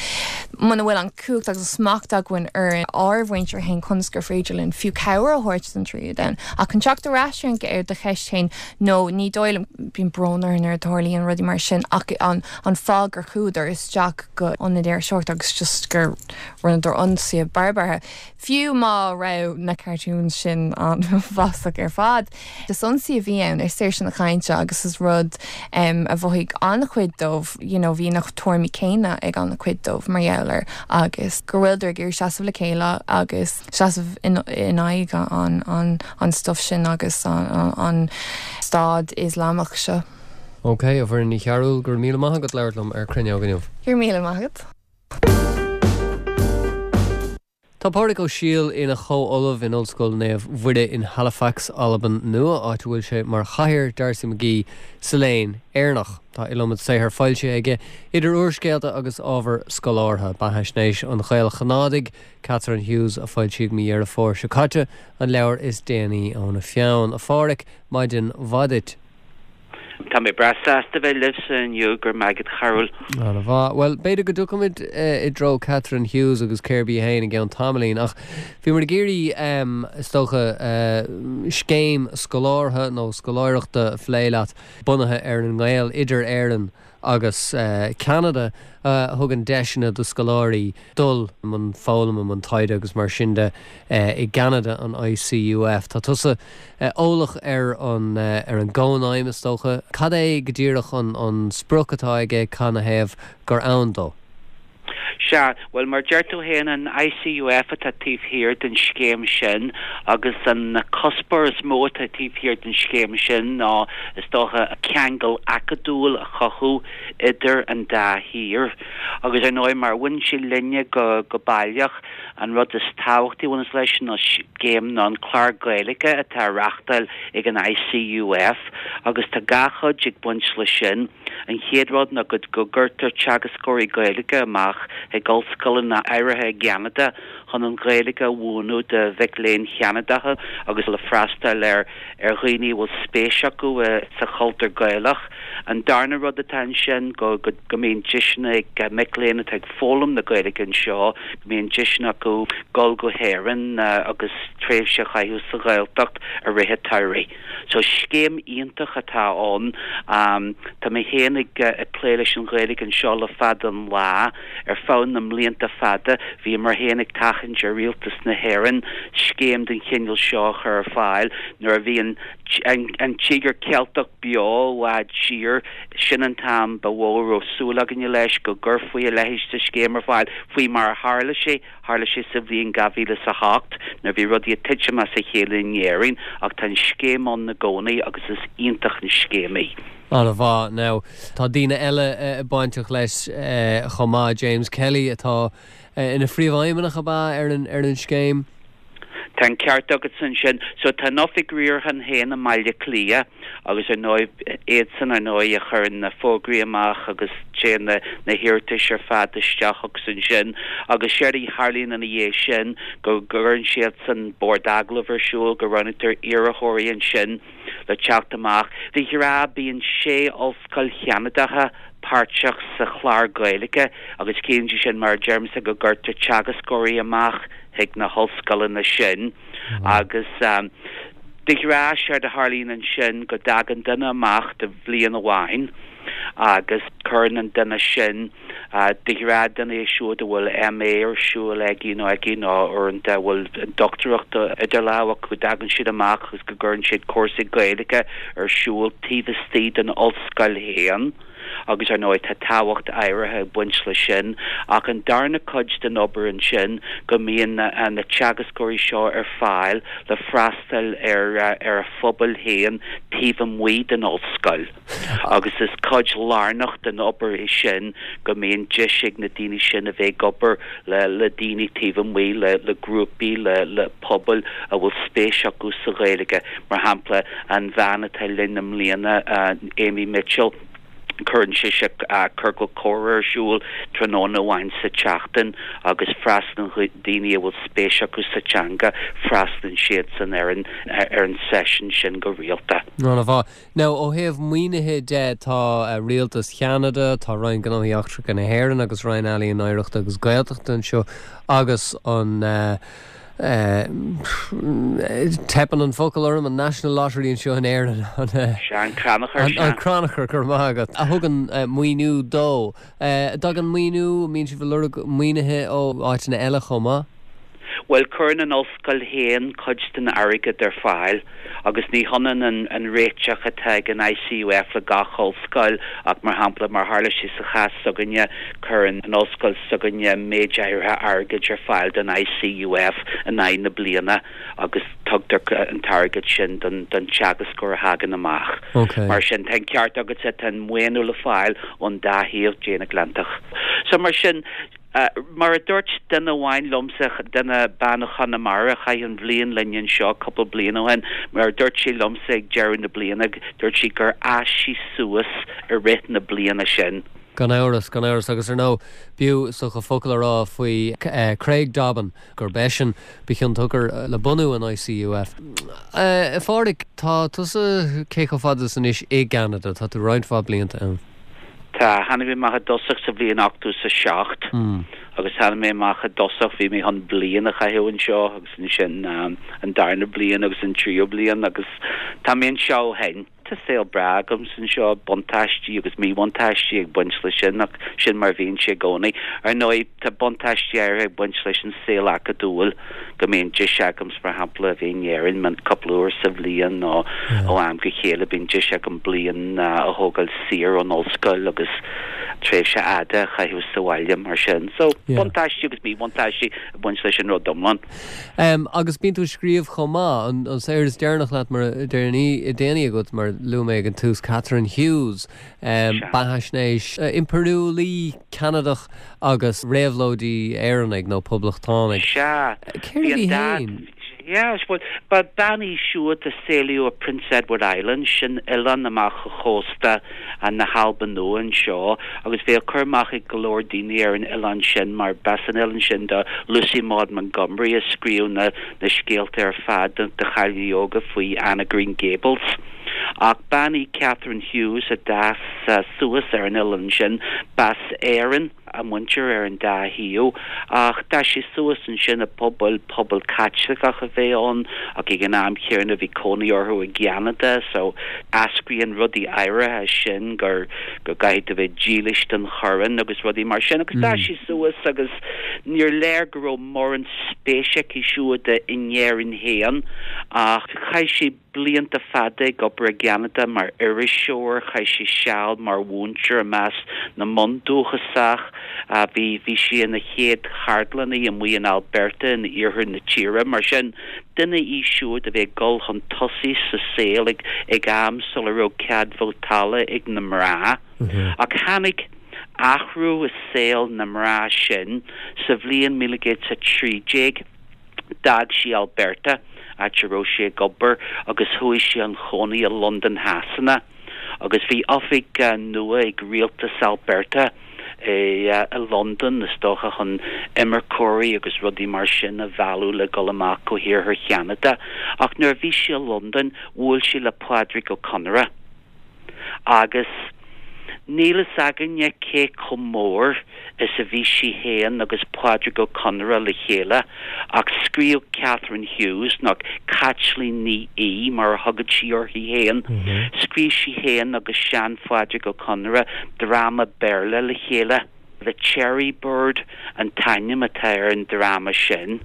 muna bhfuil an cumhacht agus smacht againn ar ár mhuintir féin conas gur féidir linn fiú cabhair a thabhairt don tríú domhan. Ach an teacht ar ais ar do cheist féin nó ní dóigh liom bíonn brón orm nuair a tarlaíonn rudaí mar sin ach an an fáth gur chuadar isteach go ionad iriseoireachta agus just gur rinneadar ionsaí barbartha. Fiú má raibh na cartoons sin an-mhaslach ar fad. Is ionsaí a bhí ann ar saoirse na cainte agus is rud um, a mhothaigh an-chuid dóibh you know, bhí na tuairimí céanna ag an-chuid dóibh mar gheall gheall air agus go bhfuiltear ag iarraidh seasamh le chéile agus seasamh in in aghaidh an an an stuff sin agus an, an, an stát Ioslamach seo. Ok, a Mhuireann Ní Chearúil go raibh míle maith agat labhairt liom ar Cruinneog inniu. Go raibh míle maith agat. Tá Pádraig Ó Siadhail ina chomh-ollamh in Ollscoil Naomh Mhuire in Halifax, Albain Nua, áit a bhfuil sé mar chathaoir D'Arcy McGee sa léann Éireannach. Tá iliomad saothar foilsithe aige idir úrscéalta agus ábhar scolártha beathaisnéis an Ghael-Chanádaigh, Catherine Hughes a foilsíodh mí Dheireadh Fómhair seo caite an leabhar is déanaí óna pheann. A Phádraig maidin mhaith duit. Tá mé breá sásta bheith libhse inniu go raibh maith agat a Chearbhaill. An-mhaith. Well, b'fhéidir go dtiocfaimid i dtreo Catherine Hughes agus cérbh í féin i gceann tamaillín, ach bhíomar ag iarraidh is dócha scéim scolártha nó scoláireachta a phlé leat bunaithe ar an ngaol idir Éirinn agus Ceanada a thugann deiseanna do scoláirí dul i mbun foghlama, i mbun taighde agus mar sin de i gCeanada, an ICUF. Tá tusa eolach ar an ar an gcónaidhm is dócha. Cad é go díreach an an sprioc atá aige canathaobh gur ann dó? Sea, bhuel, mar deir tú féin, an ICUF atá taobh thiar den scéim sin agus an cuspóir is mó atá taobh thiar den scéim sin ná, is dócha, ceangal acadúil a chothú idir an dá thír. Agus ar ndóigh, mar a bhain sé linne go go baileach, an rud is tábhachtaí a bhaineas leis an scéim ná an clár Gaeilge atá á reáchtáil ag an ICUF agus tá dhá chuid ag baint leis sin. An chéad rud ná go gcuirtear teagascóirí Gaeilge amach chuig ollscoileanna áirithe i gCeanada chun an Ghaeilge a mhúineadh do mhic léinn Cheanadacha agus le freastal ar ar dhaoine a bhfuil spéis acu sa chultúr Gaelach. An darna rud atá ansin go go go mbíonn deiseanna ag mic léinn atá ag foghlaim na Gaeilge anseo, go mbíonn deiseanna acu dul go hÉirinn agus tréimhse a chaitheamh sa Ghaeltacht i rith an tsamhraidh. So scéim iontach atá ann. Tá mé féin ag plé leis an Ghaeilge anseo le fada an lá. Ar feadh na mblianta fada, bhíomar féin ag tathant ar Rialtas na hÉireann scéim den chineál seo a chur ar fáil nuair a bhí an an Tíogar Ceilteach beo i bhfad siar. Sin an t-am ba mhó a raibh súil againne leis go gcuirfí a leithéid de scéim ar fáil, faoi mar a tharla sé. Tharla sé sa bhliain dhá mhíle is a hocht nuair a bhí rudaí ag titim as a chéile in Éirinn ach tá an scéim ann i gcónaí agus is iontach an scéim í. An-mhaith. Now, tá daoine eile bainteach leis chomh maith, James Kelly atá ina phríomhfheidhmeannach ab ea ar an ar an scéim? Tá an ceart agat ansin. So tá an oifig riaracháin féin i mBaile Átha Cliath agus ar ndóigh iadsan ar ndóigh a chuireann na fógraí amach agus téann na na hiarratais ar fad isteach agus ansin agus séard a tharlaíonn ina dhiaidh sin go gcuireann siadsan bord agallaimh ar siúl, go roghnaítear iarrthóirí ansin le teacht amach. De ghnáth bíonn sé ollscoil Cheanadacha páirteach sa chlár Gaeilge agus ciallaíonn sé sin mar a deirimse go gcuirtear teagascóirí amach chuig na hollscoileanna sin agus de ghnáth séard a tharlaíonn ansin go dtagann duine amach do bhliain amháin agus cuireann an duine sin de ghnáth duine é siúd a bhfuil MA ar siúl aige nó aici nó uaireanta a bhfuil dochtúireacht idir lámha acu go dtagann siad amach agus go gcuireann siad cúrsaí Gaeilge ar siúl taobh istigh den ollscoil féin. agus ar ndóigh tá tábhacht áirithe ag baint leis sin. Ach an darna cuid den obair ansin go mbíonn na teagascóirí seo ar fáil le freastal ar ar a phobail féin taobh amuigh den ollscoil. Agus is cuid lárnach den obair é sin go mbíonn deis ag na daoine sin a bheith ag obair le le daoine taobh amuigh, le le grúpaí, le le pobail a bhfuil spéis acu sa Ghaeilge. Mar shampla, an bhean atá linn i mbliana, Amy Mitchell, Cuireann sise ciorcal comhrá ar siúl tráthnóna amháin sa tseachtain agus freastalaíonn daoine a bhfuil spéis acu sa teanga, freastalaíonn siadsan ar an ar an seisiún sin go rialta. An-mhaith. Now, ó thaobh maoinithe de, tá Rialtas Cheanada, tá Roinn Gnóthaí Eachtracha na hÉireann agus Roinn Ealaíon, Oidhreachta agus Gaeltachta anseo agus an Teipeann an focal orm, an National Lottery anseo in Éirinn, an. Sea, an Crannchur, sea. An Crannchur, go raibh maith agat, a thugann maoiniú dó. An dtagann maoiniú, an mbíonn sibh ag lorg maoinithe ó áiteanna eile chomh maith? Bhuel, cuireann an ollscoil féin cuid den airgead ar fáil agus ní hionann an an réiteach atá ag an I C U F le gach ollscoil ach, mar shampla, mar tharla sé sa chás s'againne, cuireann an ollscoil s'againne méid áirithe airgid ar fáil don I C U F in aghaidh na bliana agus tugtar an t-airgead sin don don teagascóir a thagann amach. Okay. Mar sin, tá an ceart agatsa, tá an maoiniú le fáil ón dá thaobh den Atlantach. So mar sin, mar a dúirt duine amháin liomsa, duine bean ó Chonamara a chaith an bhliain linn anseo cúpla bliain ó shin, mar a dúirt sí liomsa ag deireadh na bliana, dúirt sí gur fhás sí suas i rith na bliana sin. Gan amhras, gan amhras. Agus ar ndóigh, b'fhiú is dócha focal a rá faoi Craig Dobbin, gurb eisean ba chionsiocair le bunú an I C U F. A Phádraig, tá tusa cé chomh fada is anois i gCeanada? Tá tú roinnt mhaith blianta ann. Tá. Tháinig mé amach i dtosach sa bhliain ochtó is a seacht agus tháinig mé amach i dtosach, bhí mé chun bliain a chaitheamh anseo agus ansin an darna bliain agus an tríú bliain agus tá mé anseo ó shin. Tá saol breá agamsa anseo, buntáistí agus míbhuntáistí ag baint leis sin ach sin mar a bhíonn sé i gcónaí. Ar ndóigh, tá buntáistí áirithe ag baint leis an saol acadúil, go mbíonn deis agamsa, mar shampla, a bheith in Éirinn cúpla uair sa bhliain nó ó am go chéile bíonn deis agam bliain a thógáil saor ón ollscoil agus tréimhse fhada a chaitheamh sa bhaile mar sin. So, buntáistí agus míbhuntáistí ag baint leis an rud iomlán. Um, agus bíonn tú ag scríobh chomh maith. an, an saothar is deireanach leat mar déanaí déanaí agat, mar luaigh mé ag an tús, Catherine Hughes, um, beathaisnéis uh, impiriúlaí Ceanadach agus réabhlóidí Éireannaigh nó poblachtánaigh. Sea. Céard í féin? Yeah, well, ba bean í siúd a saolaíodh i Prince Edward Island, sin oileán amach ó chósta na hAlban Nua anseo, agus bhí cur amach ag go leor daoine ar an oileán sin mar b'as an oileán sin do Lucy Maud Montgomery, a scríobh na, na scéalta ar fad do, do chailíní óga faoi Anne of Green Gables. Ach bean í Catherine Hughes a d'fhás uh, suas ar an oileán sin. B'as Éirinn a muintir ar an dá thaobh, ach d'fhás sí suas ansin i bpobal pobal Caitliceach a bhí ann, ach ag an am céanna bhí cónaí orthu i gCeanada, so eascraíonn rudaí áirithe sin gur go gcaithfidh tú bheith dílis don choróin agus rudaí mar sin. Agus d'fhás sí suas agus níor léir go raibh mórán spéis aici siúd in Éirinn féin, ach chaith sí blianta fada ag obair i gCeanada mar iriseoir, chaith sí seal mar mhúinteoir i measc na mbundúchasach, bhí bhí sí ina chéad cheardlannaí amuigh in Alberta in iarthar na tíre. Mar sin, duine í siúd a bhí ag dul chun tosaigh sa saol ag ag am sula raibh cead vótála ag na mná. Ach tháinig athrú i saol na mná sin sa bhliain míle céad a trí déag. D'fhág sí Alberta, áit a raibh sí ag obair, agus chuaigh sí chun cónaí i Londain Shasana, agus bhí oifig nua ag rialtas Alberta i i Londain, is dócha chun imirceoirí agus rudaí mar sin a mhealladh le dul amach ó iarthar Cheanada. Ach nuair a bhí sí i Londain, bhuail sí le Pádraig Ó Conaire, agus níl fhios againne cé chomh mór is a bhí sí féin agus Pádraig Ó Conaire le chéile, ach scríobh Catherine Hughes, nó Caitlín Ní Aodha mar a thugadh sí uirthi féin, scríobh sí féin agus sean-Phádraig Ó Conaire dráma Béarla le chéile. The Cherry Bird an t-ainm atá ar an dráma sin.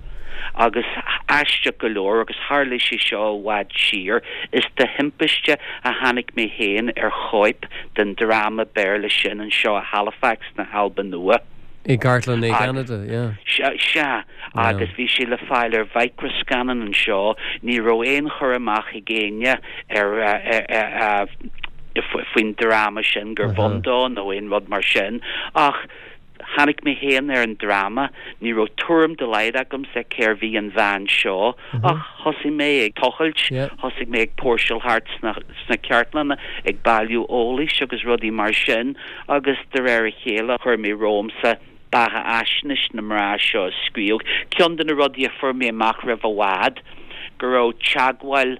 Agus aisteach go leor, agus tharla sé seo i bhfad siar, is de thimpiste a tháinig mé féin ar chóip den dráma Béarla sin anseo i Halifax na hAlban Nua. I gcartlann i gCeanada, yeah. Sea, sea, agus bhí sé le fáil ar mhicreascannán anseo. Ní raibh aon chur amach ag éinne ar faoin dráma sin, gur bhun dó nó aon rud mar sin, ach tháinig mé féin ar an dráma. Ní raibh tuairim dá laghad agamsa cérbh í an bhean seo, ach thosaigh mé ag tochailt, thosaigh mé ag póirseáil thart sna sna cartlanna ag bailiú eolais agus rudaí mar sin, agus de réir a chéile chuir mé romhamsa beathaisnéis na mná seo a scríobh. Ceann de na rudaí a fuair mé amach roimh i bhfad, go raibh teagmháil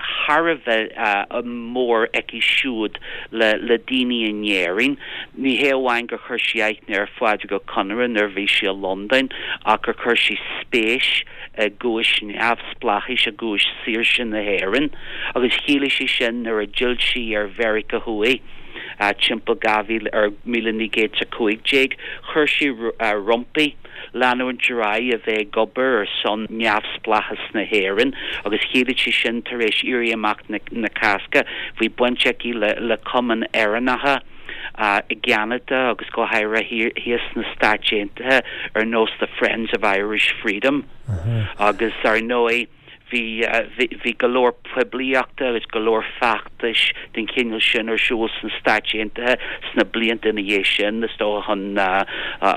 thar a bheith mór aici siúd le le daoine in Éirinn. Ní hé amháin gur chuir sí aithne ar Phádraig Ó Conaire nuair a bhí sí i Londain, ach gur chuir sí spéis i gcúis neamhspleáchais, i gcúis saoirse na hÉireann, agus chiallaigh sé sin nuair a d'fhill sí ar Mheiriceá Thuaidh timpeall dhá mhíle ar míle naoi gcéad a cúig déag, chuir sí roimpi leanúint ar aghaidh a bheith ag obair ar son neamhspleáchas na hÉireann agus chiallaigh sé sin tar éis Éirí Amach na Cásca bhí baint aici le le cumainn Éireannacha i gCeanada agus go háirithe thíos sna Stáit Aontaithe ar nós the Friends of Irish Freedom agus ar ndóigh Bhí, bhí go leor poiblíochta agus go leor feachtais den chineál sin ar siúl sna Stáit Aontaithe sna blianta ina dhiaidh sin, is dócha, chun,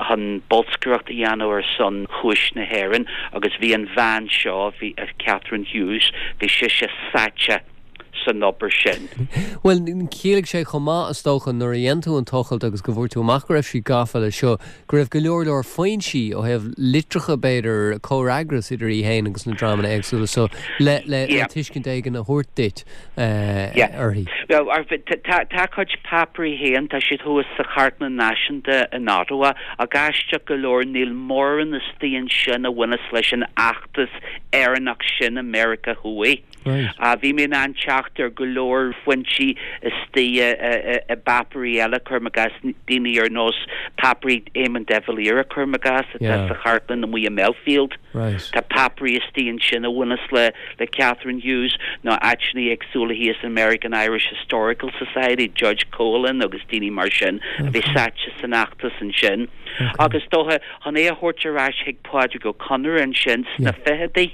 chun bolscaireacht a dhéanamh ar son chúis na hÉireann agus bhí an bhean seo, bhí, Catherine Hughes, bhí sise sáite san obair sin. Bhuel, chiallaigh sé chomh maith, is dócha, nuair a dhein tú an tochailt agus go bhfuair tú amach go raibh sí gafa leis seo, go raibh go leor leor foinsí ó thaobh litreacha, b'fhéidir, comhfhreagras idir í féin agus na dreamanna éagsúla so le le Yeah. tuiscint éigin a thabhairt duit Yeah. uirthi. Well, tá tá a cuid páipéirí féin, tá siad thuas sa Chartlann Náisiúnta in Ottawa, ach aisteach go leor níl mórán istigh ansin a bhaineas leis an fheachtas Éireannach sin i Meiriceá Thuaidh. Bhí mé in ann teacht ar go leor foinsí istigh i bpáipéirí eile, cuirim i gcás, daoine ar nós páipéirí Éamon de Valera, cuirim i gcás, atá sa chartlann amuigh i mBelfield. Tá páipéirí istigh ansin a bhaineas le le Catherine Hughes nó áiteanna éagsúla thíos in American Irish Historical Society, Judge Coghlan agus daoine mar sin a bhí sáite san fheachtas ansin. Agus is dócha, chun é a thabhairt ar ais chuig Pádraig Ó Conaire ansin sna fichidí,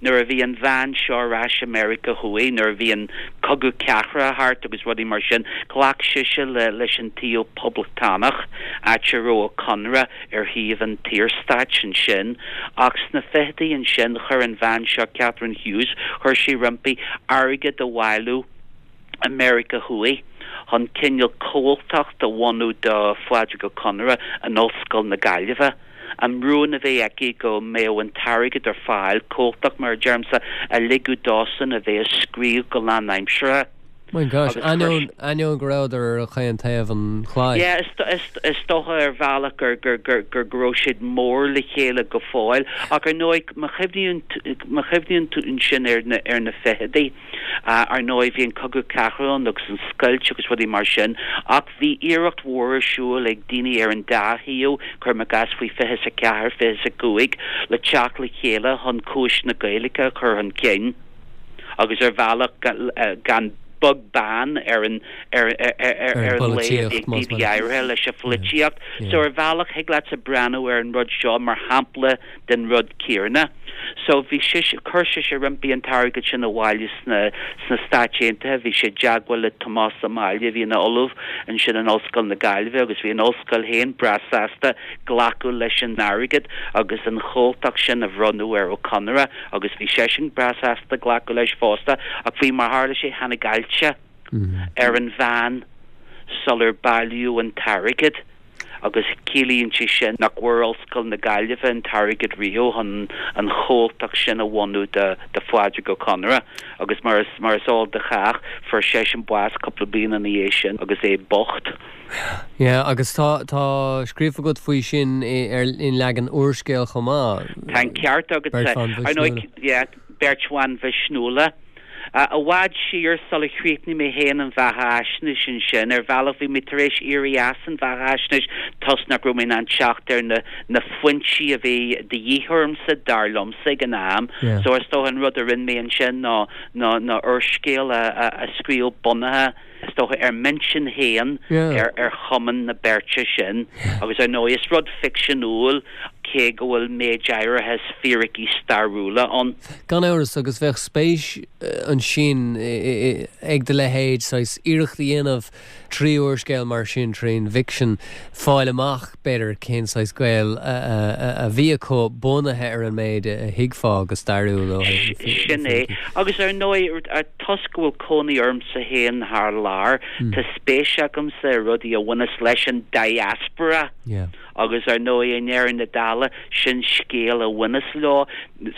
nuair a bhí an bhean seo ar ais i Meiriceá Thuaidh, nuair a bhí an Cogadh Cathartha thart agus rudaí mar sin, ghlac sise le leis an taobh poblachtánach, áit a raibh Ó Conaire ar thaobh an tSaorstáit ansin. Ach sna fichidí ansin, chuir an bhean seo, Catherine Hughes, chuir sí roimpi airgead a bhailiú i Meiriceá Thuaidh chun cineál comhaltacht a bhunú do Phádraig Ó Conaire in Ollscoil na Gaillimhe. An rún a bheith aici go mbeadh an t-airgead ar fáil, comhaltacht mar a deirimse, a ligeadh dósan a bheith ag scríobh go lánaimseartha. My gosh, Agus chuir ainneoin, ainneoin go rabhadar ar chaon taobh an chlaí. Yeah, is, is, is dócha ar bhealach gur, gur, gur, gur, go raibh siad mór le chéile go fóill. Ach ar ndóigh, má chuimhníonn, má chuimhníonn tú ansin ar na, ar na fichidí, Ar ndóigh, bhí an Cogadh Cathartha ann agus an scoilt agus rudaí mar sin, ach bhí iarracht mhór ar siúl ag daoine ar an dá thaobh, cuirim i gcás faoi fiche is a ceathair, fiche is a cúig, le teacht le chéile chun cúis na Gaeilge a chur chun cinn agus ar bhealach gan beag beann ar an ar Ar an an lé a bhí bpolaitíocht, ag más daoine maith. áirithe leis an pholaitíocht. Yeah. So ar bhealach thig leatsa breathnú ar an rud seo mar shampla den rud céanna. So bhí sise, chuir sise roimpi an t-airgead sin abhaile sna, sna Stáit Aontaithe, bhí sí i dteagmháil le Tomás Ó Máille a bhí ina ollamh ansin in Ollscoil na Gaillimhe agus bhí an ollscoil féin breá sásta glacadh leis an airgead agus an chomhaltacht sin a bhronnadh ar Ó Conaire agus bhí seisean breá sásta glacadh leis fosta ach faoi mar tharla sé tháinig ailse ar an bhean sular bailíodh an t-airgead. agus ciallaíonn sé sin nach bhfuair Ollscoil na Gaillimhe an t-airgead riamh chun an chomhaltacht sin a bhunú do do Phádraig Ó Conaire agus mar is mar is eol do chách fuair seisean bás cúpla bliain ina dhiaidh sin agus é bocht. Yeah, agus tá tá scríofa agat faoi sin i ar in leagan úrscéil chomh maith. Tá an ceart agat. Beirt bhan Ar ndóigh mhisniúla. yeah, beirt bhan mhisniúla. I bhfad siar sular chríochnaigh mé féin an bheathaisnéis ansin, ar bhealach bhí mé tar éis éirí as an bheathaisnéis toisc nach raibh mé in ann teacht ar na na foinsí a bhí de dhíth ormsa, dar liomsa, ag an am. Yeah. So is dócha an rud a rinne mé ansin ná ná ná úrscéal a a a scríobh bunaithe is dócha ar m'intinn féin Yeah. ar ar chumann na beirte sin agus ar ndóigh is rud ficseanúil cé go bhfuil méid áirithe fíricí stairiúla ann. Gan amhras agus bheadh spéis ansin ag do leithéid saghas iarracht a dhéanamh trí úrscéal mar sin, trín bhficsean, fáil amach, b'fhéidir, cén saghas gaol a bhí acu bunaithe ar an méid a thuigfeá go stairiúil ó thaobh na Sin é. fíricí. Agus ar ndóigh, toisc go bhfuil cónaí ormsa féin thar lear, tá spéis agamsa i rudaí a bhaineas leis an diaspora. Yeah. Agus ar ndóigh, i ndeireadh na dála, sin scéal a bhaineas leo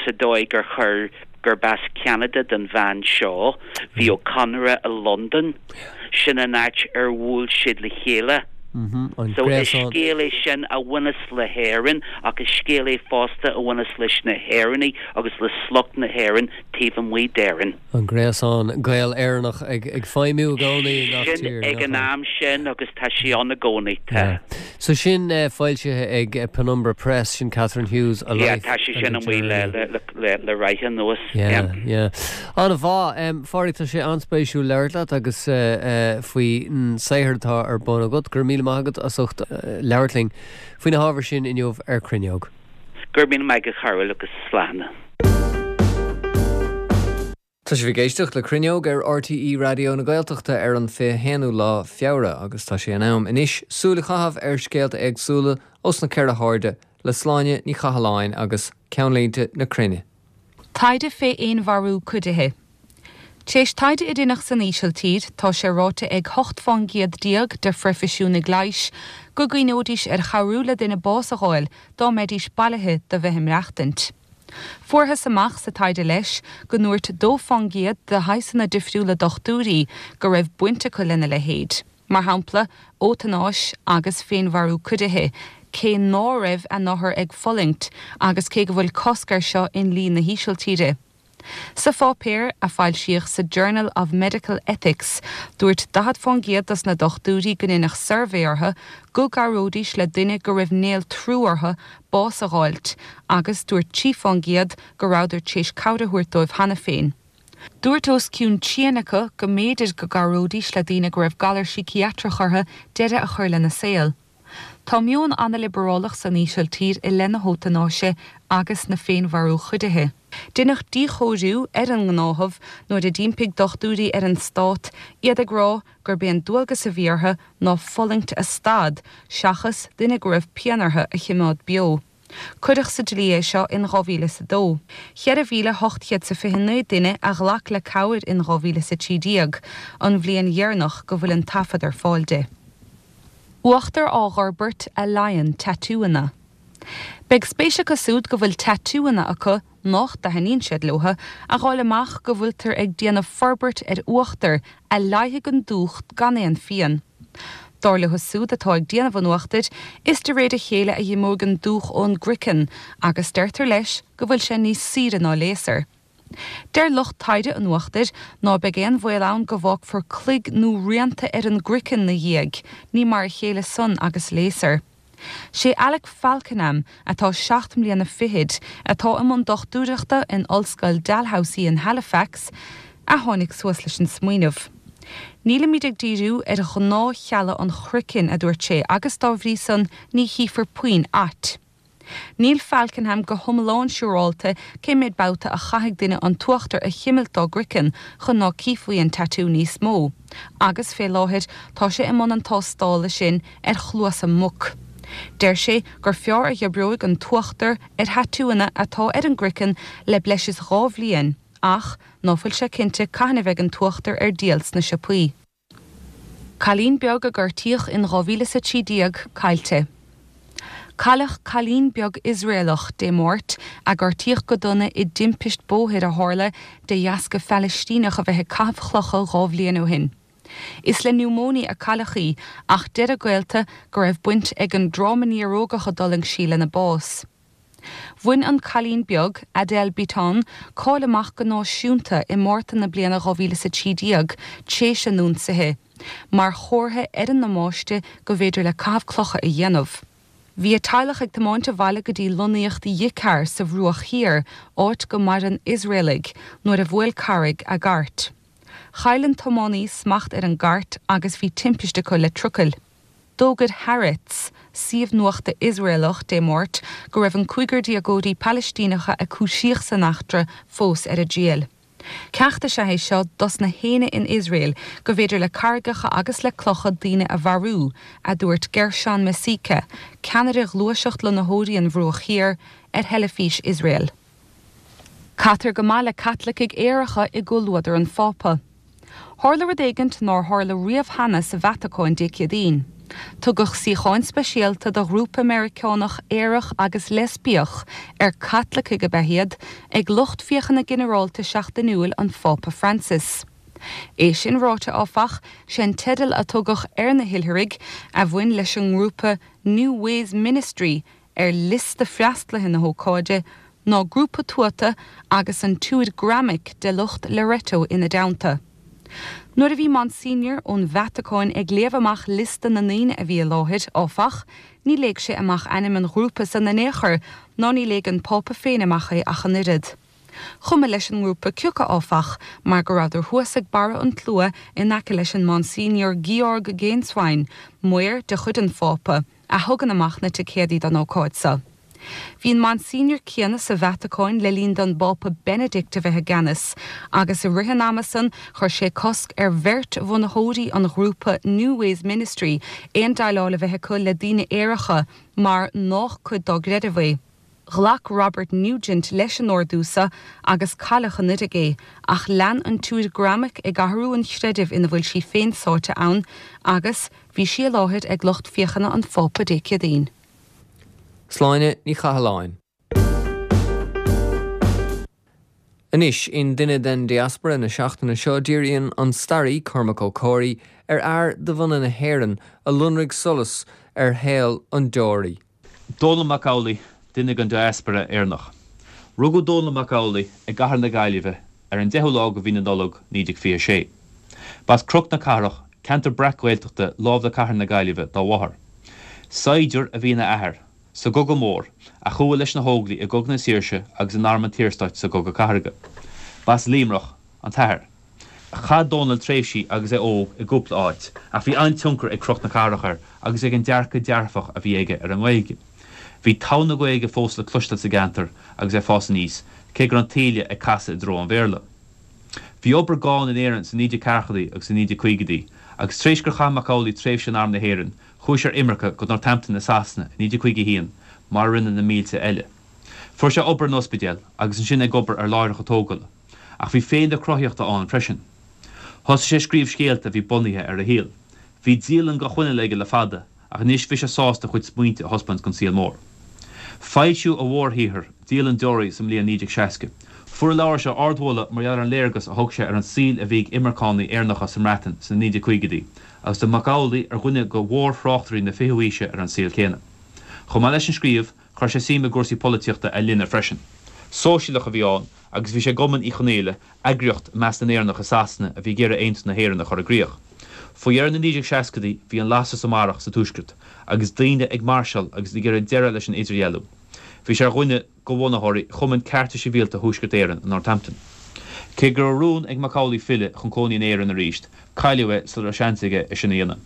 sa dóigh gur chuir, gurb as Ceanada don bhean seo. Bhí Ó Conaire i Londain. Sin an áit ar bhuail siad le chéile. An So is gréasán. scéal é sin a bhaineas le hÉirinn ach is scéal é fosta a bhaineas leis na hÉireannaigh agus le sliocht na hÉireann taobh amuigh d'Éirinn. An gréasán Gael Éireannach ag ag feidhmiú i gcónaí i ngach Sin tír, ag an nach am sin agus tá sí ann i gcónaí. Yeah. So sin uh, foilsithe ag uh, Penumbra Press sin Catherine Hughes a Yeah, Life tá sé and sin a amuigh le Journey. le le le ráithe anuas. Yeah, yeah. An-mhaith um, Phádraig tá sé an-spéisiúil labhairt leat agus uh, uh, faoi an saothar atá ar bun agat gur míle maith agat as ucht uh, labhairt linn faoi na hábhair sin inniu ar Cruinneog. Gur míle maith agat a Chearbhaill agus slán. Tá sibh ag éisteacht le Cruinneog ar RTÉ Raidió na Gaeltachta ar an fiche haonú lá Feabhra agus tá sé in am anois súil a chaitheamh ar scéalta éagsúla ós na ceithre hairde le Sláine Ní Chathalláin agus ceannlínte na cruinne. Taighde fé fhéinmharú cuidithe. Tréis taighde a rinneadh san Ísiltír tá sé ráite ag hocht faoin gcéad déag de phroifisiúnaigh leighis go gcuimhneoidís ar chabhrú le duine bás a fháil dá mbeidís bailithe do bheith ag maireachtaint. Fuarthas amach sa taighde leis go ndúirt dó faoin gcéad de shaghsanna difriúla dochtúirí go raibh baint acu lena leithéid. Mar shampla eotanáis agus féinmharú cuidithe, cé ná raibh an t-othar ag fulaingt agus cé go bhfuil cosc air seo i ndlí na hÍsiltíre. Sa pháipéar a foilsíodh sa Journal of Medical Ethics dúirt daichead faoin gcéad dos na dochtúirí go ndeineadh suirbhé orthu go gcabhróidís le duine go raibh néaltrú orthu bás a fháilt, agus dúirt trí faoin gcéad go rabhadar tréis cabhair a thabhairt dóibh cheana féin. Dúirt os cionn trian acu go mb'fhéidir go gcabhróidís le daoine go raibh galar síciatrach orthu deireadh a chur lena saol. Tá meon an-liobrálach san Ísiltír i leith na heotanáise agus na féinmharú cuidithe. Deineadh díchóiriú ar an ngnáthamh nuair a d'impigh dochtúirí ar an stát iad ag rá gurb é an dualgas a bhí orthu ná fulaingt a stad seachas duine go raibh pian orthu a choimeád beo. Cuireadh sa dlí é seo in dhá mhíle is a dó. Ceithre mhíle hocht chéad is a fiche naoi duine a ghlac le cabhair in dhá mhíle is a trí déag, an bhliain dheireanach go bhfuil an taifead ar fáil di. Uachtar á fhorbairt a leigheasann tatúanna. Beidh spéis acu siúd go bhfuil tatúanna acu nach dtaitníonn siad leo a fháil amach go bhfuiltear ag déanamh forbairt ar uachtar a leigheasfaidh an dúch gan aon phian. Dar leo siúd atá ag déanamh an uachtair, is de réir a chéile a imeoidh an dúch ón gcraiceann agus deirtear leis go bhfuil sé níos saoire ná léasar. Deir lucht taighde an uachtair ná beidh aon bhaol ann go bhfágfar cloig nó rianta ar an gcraiceann ina dhiaidh, ní mar a chéile san agus léasar. Sé Alec Falkenham atá seacht mbliana fichead atá i mbun dochtúireachta in Ollscoil Dalhousie in Halifax a tháinig suas leis an smaoineamh. Nílimid ag díriú ar ghnáthchealla an chraicinn a dúirt sé agus dá bhrí san ní chífear puinn ait. Níl Falkenham go hiomlán siúráilte cé mhéad babhta a chaithfidh duine an t-uachtar a chimilt dá gcraiceann chun ná cífí an tatú níos mó. Agus fé láthair tá sé i mbun an tástála sin ar chluasa muc. Deir sé gur fearr a dh'oibreoidh an t-uachtar ar thatúanna atá ar an gcraiceann le breis is dhá bhliain, ach ná fuil sé cinnte cathain a bheidh an t-uachtar ar díol sna siopaí. Cailín beag a gortaíodh in dhá mhíle is a trí déag caillte. Cailleadh cailín beag Iosraelach Dé Máirt a gortaíodh go dona i dtimpist bóthair a tharla de dheasca Phalaistíneach a bheith ag caitheamh clocha dhá bhliain ó shin. Is le niúmóine a cailleadh í ach deir a gaolta go raibh baint ag an dtráma néarógach a d'fhulaing sí lena bás. Bhain an cailín beag Adele Biton cáil amach go náisiúnta i Márta na bliana dhá mhíle is a trí déag tréis an ionsaithe, mar chomhartha ar an ndamáiste go bhféidir le caitheamh clocha a dhéanamh. Bhí a teaghlach ag tiomáint abhaile go dtí lonnaíocht Yitzhar sa Bhruach Thiar, áit go maireann Iosraelaigh nuair a bhuail carraig a gcairt. Chaill an tiománaí smacht ar an gcairt agus bhí timpiste acu le trucail. D'fhógair Haaretz, suíomh nuachta Iosraelach Dé Máirt go raibh an cúigear déagóirí Palaistíneacha a cúisíodh san eachtra fós ar a dtriail. Ceacht is ea é seo dos na héinne in Iosrael go bhféidir le carraigeacha agus le clocha daoine a mharú, a dúirt Gershon Mesika, ceannaire ghluaiseacht lonnaitheoirí an Bhruach Thiar ar theilifís Iosrael. Caitear go maith le Caitlicigh aeracha i gcomhluadar an Phápa. Tharla rud éigint nár tharla riamh cheana sa Vatacáin Dé Céadaoin. Tugadh suíocháin speisialta do ghrúpa Meiriceánach aerach agus leispiach ar Caitlicigh ab ea iad ag lucht féachana ginearálta seachtainiúil an Phápa Francis. É sin ráite áfach sé an teideal a tugadh ar na hoilithrigh a bhain leis an ngrúpa New Ways Ministry ar liosta freastalaithe na hócáide ná grúpa tuata agus an tSiúid Gramic de lucht Loreto ina dteannta. Nuair a bhí Monsignor ón Vatacáin ag léamh amach liosta na ndaoine a bhí i láthair, áfach, ní léigh sé amach ainm an ghrúpa san in aon chor ná ní léigh an Pápa féin amach é ach an oiread. Chuma leis an ngrúpa cé acu áfach, mar go rabhadar thuas ag barra an tslua in aice leis an Monsignor Georg Gänswein, maor de chuid an Phápa, a thugann amach na ticéadaí don ócáid seo. Bhí an Monsignor céanna sa Vatacáin le linn don bPápa Benedict a bheith i gceannas, agus i rith an ama san chuir sé cosc ar bheirt bhunaitheoirí an ghrúpa New Ways Ministry aon déileáil a bheith acu le daoine aeracha mar nách cuid dá gcreideamh é. Ghlac Robert Nugent leis an ordú seo agus cailleadh anuraidh é, ach lean an tSiúir Gramic ag athrú an chreidimh ina bhfuil sí féin sáite ann agus bhí sí i láthair ag lucht féachana an Phápa Dé Céadaoin. Sláine Ní Chathalláin. Anois, in Duine den Diaspora na seachtaine seo díríonn an staraí Cormac Ó Comhraí ar fhear de bhunadh na hÉireann a lonraigh solas ar shaol an deoraí. Dónall Mac Amhlaigh, duine den diaspora Éireannach. Rugadh Dónall Mac Amhlaigh i gcathair na Gaillimhe ar an deichiú lá de mhí na Nollag naoi déag fiche a sé. B'as Cnoc na Cathrach, ceantar breac-Ghaeltachta lámh le cathair na Gaillimhe, dá mháthair. Saighdiúir a bhí ina athair sa gCogadh Mór, a chuaigh leis na hÓglaigh i gCogadh na Saoirse agus in Arm an tSaorstáit sa gCogadh Cathartha. B'as Luimneach an t-athair. Chaith Dónall tréimhsí agus é óg i gcúpla áit, ach bhí an-tionchar ag Cnoc na Cathrach air agus ag an dearcadh dearfach a bhí aige ar an nGaeilge. Bhí togha na Gaeilge fós le cloisteáil sa gceantar agus é ag fás aníos, cé go raibh an taoille ag casadh i dtreo an Bhéarla. Bhí obair gann in Éirinn sna naoi déag ceathrachaidí agus sna naoi déag caogaidí, agus tar éis gur chaith Mac Amhlaigh tréimhse in Arm na hÉireann, chuaigh sé ar imirce go Northampton i Sasana i naoi déag caoga a haon, mar a rinne na mílte eile. Fuair sé obair in ospidéal agus ansin ag obair ar láithreacha tógála, ach bhí féith na cruthaíochta ann freisin. Thosaigh sé ag scríobh scéalta a bhí bunaithe ar a shaol. Bhí dialann dhá choinneáil aige le fada, ach anois bhí sé sásta a chuid smaointe a thaispeáint don saol mór. Foilsíodh a mhórshaothar, Dialann Deoraí, sa mbliain naoi déag seasca. Fuair an leabhar seo ardmholadh mar gheall ar an léargas a thug sé ar an saol a bhí ag imirceánaigh Éireannacha sa mBreatain sna naoi déag caogaidí, agus tá Mac Amhlaigh ar dhuine de mhórthráchtairí na fichiú haoise ar an saol céanna. Chomh maith leis an scríobh, chuir sé suim i gcúrsaí polaitíochta a linne freisin. Sóisialach a bhí ann agus bhí sé i gCumann Uí Chonghaile, eagraíocht i measc na nÉireannach i Sasana a bhí ag iarraidh aontú na hÉireann a chur i gcrích. Faoi dheireadh na naoi déag seascaidí bhí an lasair sa mbarrach sa Tuaisceart agus daoine ag máirseáil agus ag iarraidh deireadh leis an idirdhealú. Bhí sé ar dhuine de bhunaitheoirí Chumann Cearta Sibhialta Thuaisceart Éireann i Northampton. Cé go raibh rún ag Mac Amhlaigh filleadh chun cónaí in Éirinn arís, cailleadh é sula raibh seans aige é sin a dhéanamh.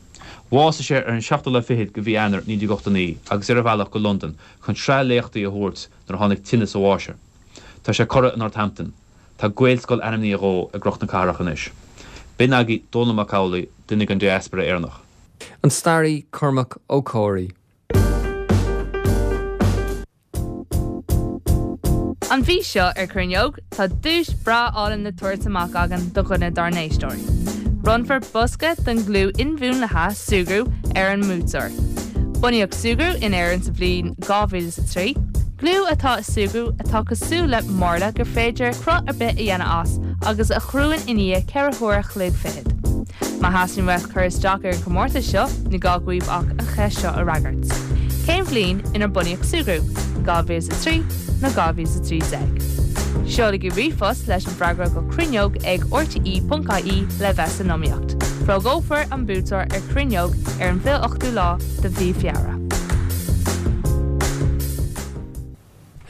Bhásaigh sé ar an seachtú lá fichead de mhí Eanáir naoi déag ochtó naoi agus é ar a bhealach go Londain chun sraith léachtaí a thabhairt nuair a tháinig tinneas a bháis air. Tá sé curtha i Northampton. Tá Gaelscoil ainmnithe dhó i gCnoc na Cathrach anois. B'in agaibh Dónall Mac Amhlaigh, duine den diaspora Éireannach. An staraí Cormac Ó Comhraí. An mhí seo ar Cruinneog, tá duais breá álainn le tabhairt amach againn do dhuine dár n-éisteoirí. Bronnfar bosca den ghliú inmhúnlaithe Súgradh ar an mbuaiteoir. Bunaíodh Súgradh in Éirinn sa bhliain dhá mhíle is a trí. Gliú atá i Súgradh atá cosúil le marla gur féidir cruth ar bith a dhéanamh as agus a chruann i ndiaidh ceithre huaire a chloig fichead. Má theastaíonn uait cur isteach ar an chomórtas seo, ní gá dhaoibh ach an cheist seo a fhreagairt. Cén bhliain inar bunaíodh Súgradh? dhá mhíle is a trí nó dhá mhíle is a trí déag? Seolaigí ríomhphost leis an bhfreagra go cruinneog ag rte ponc ie le bheith san iomaíocht. Fógrófar an buaiteoir ar Cruinneog ar an bhfiche ochtú lá de mhí Feabhra.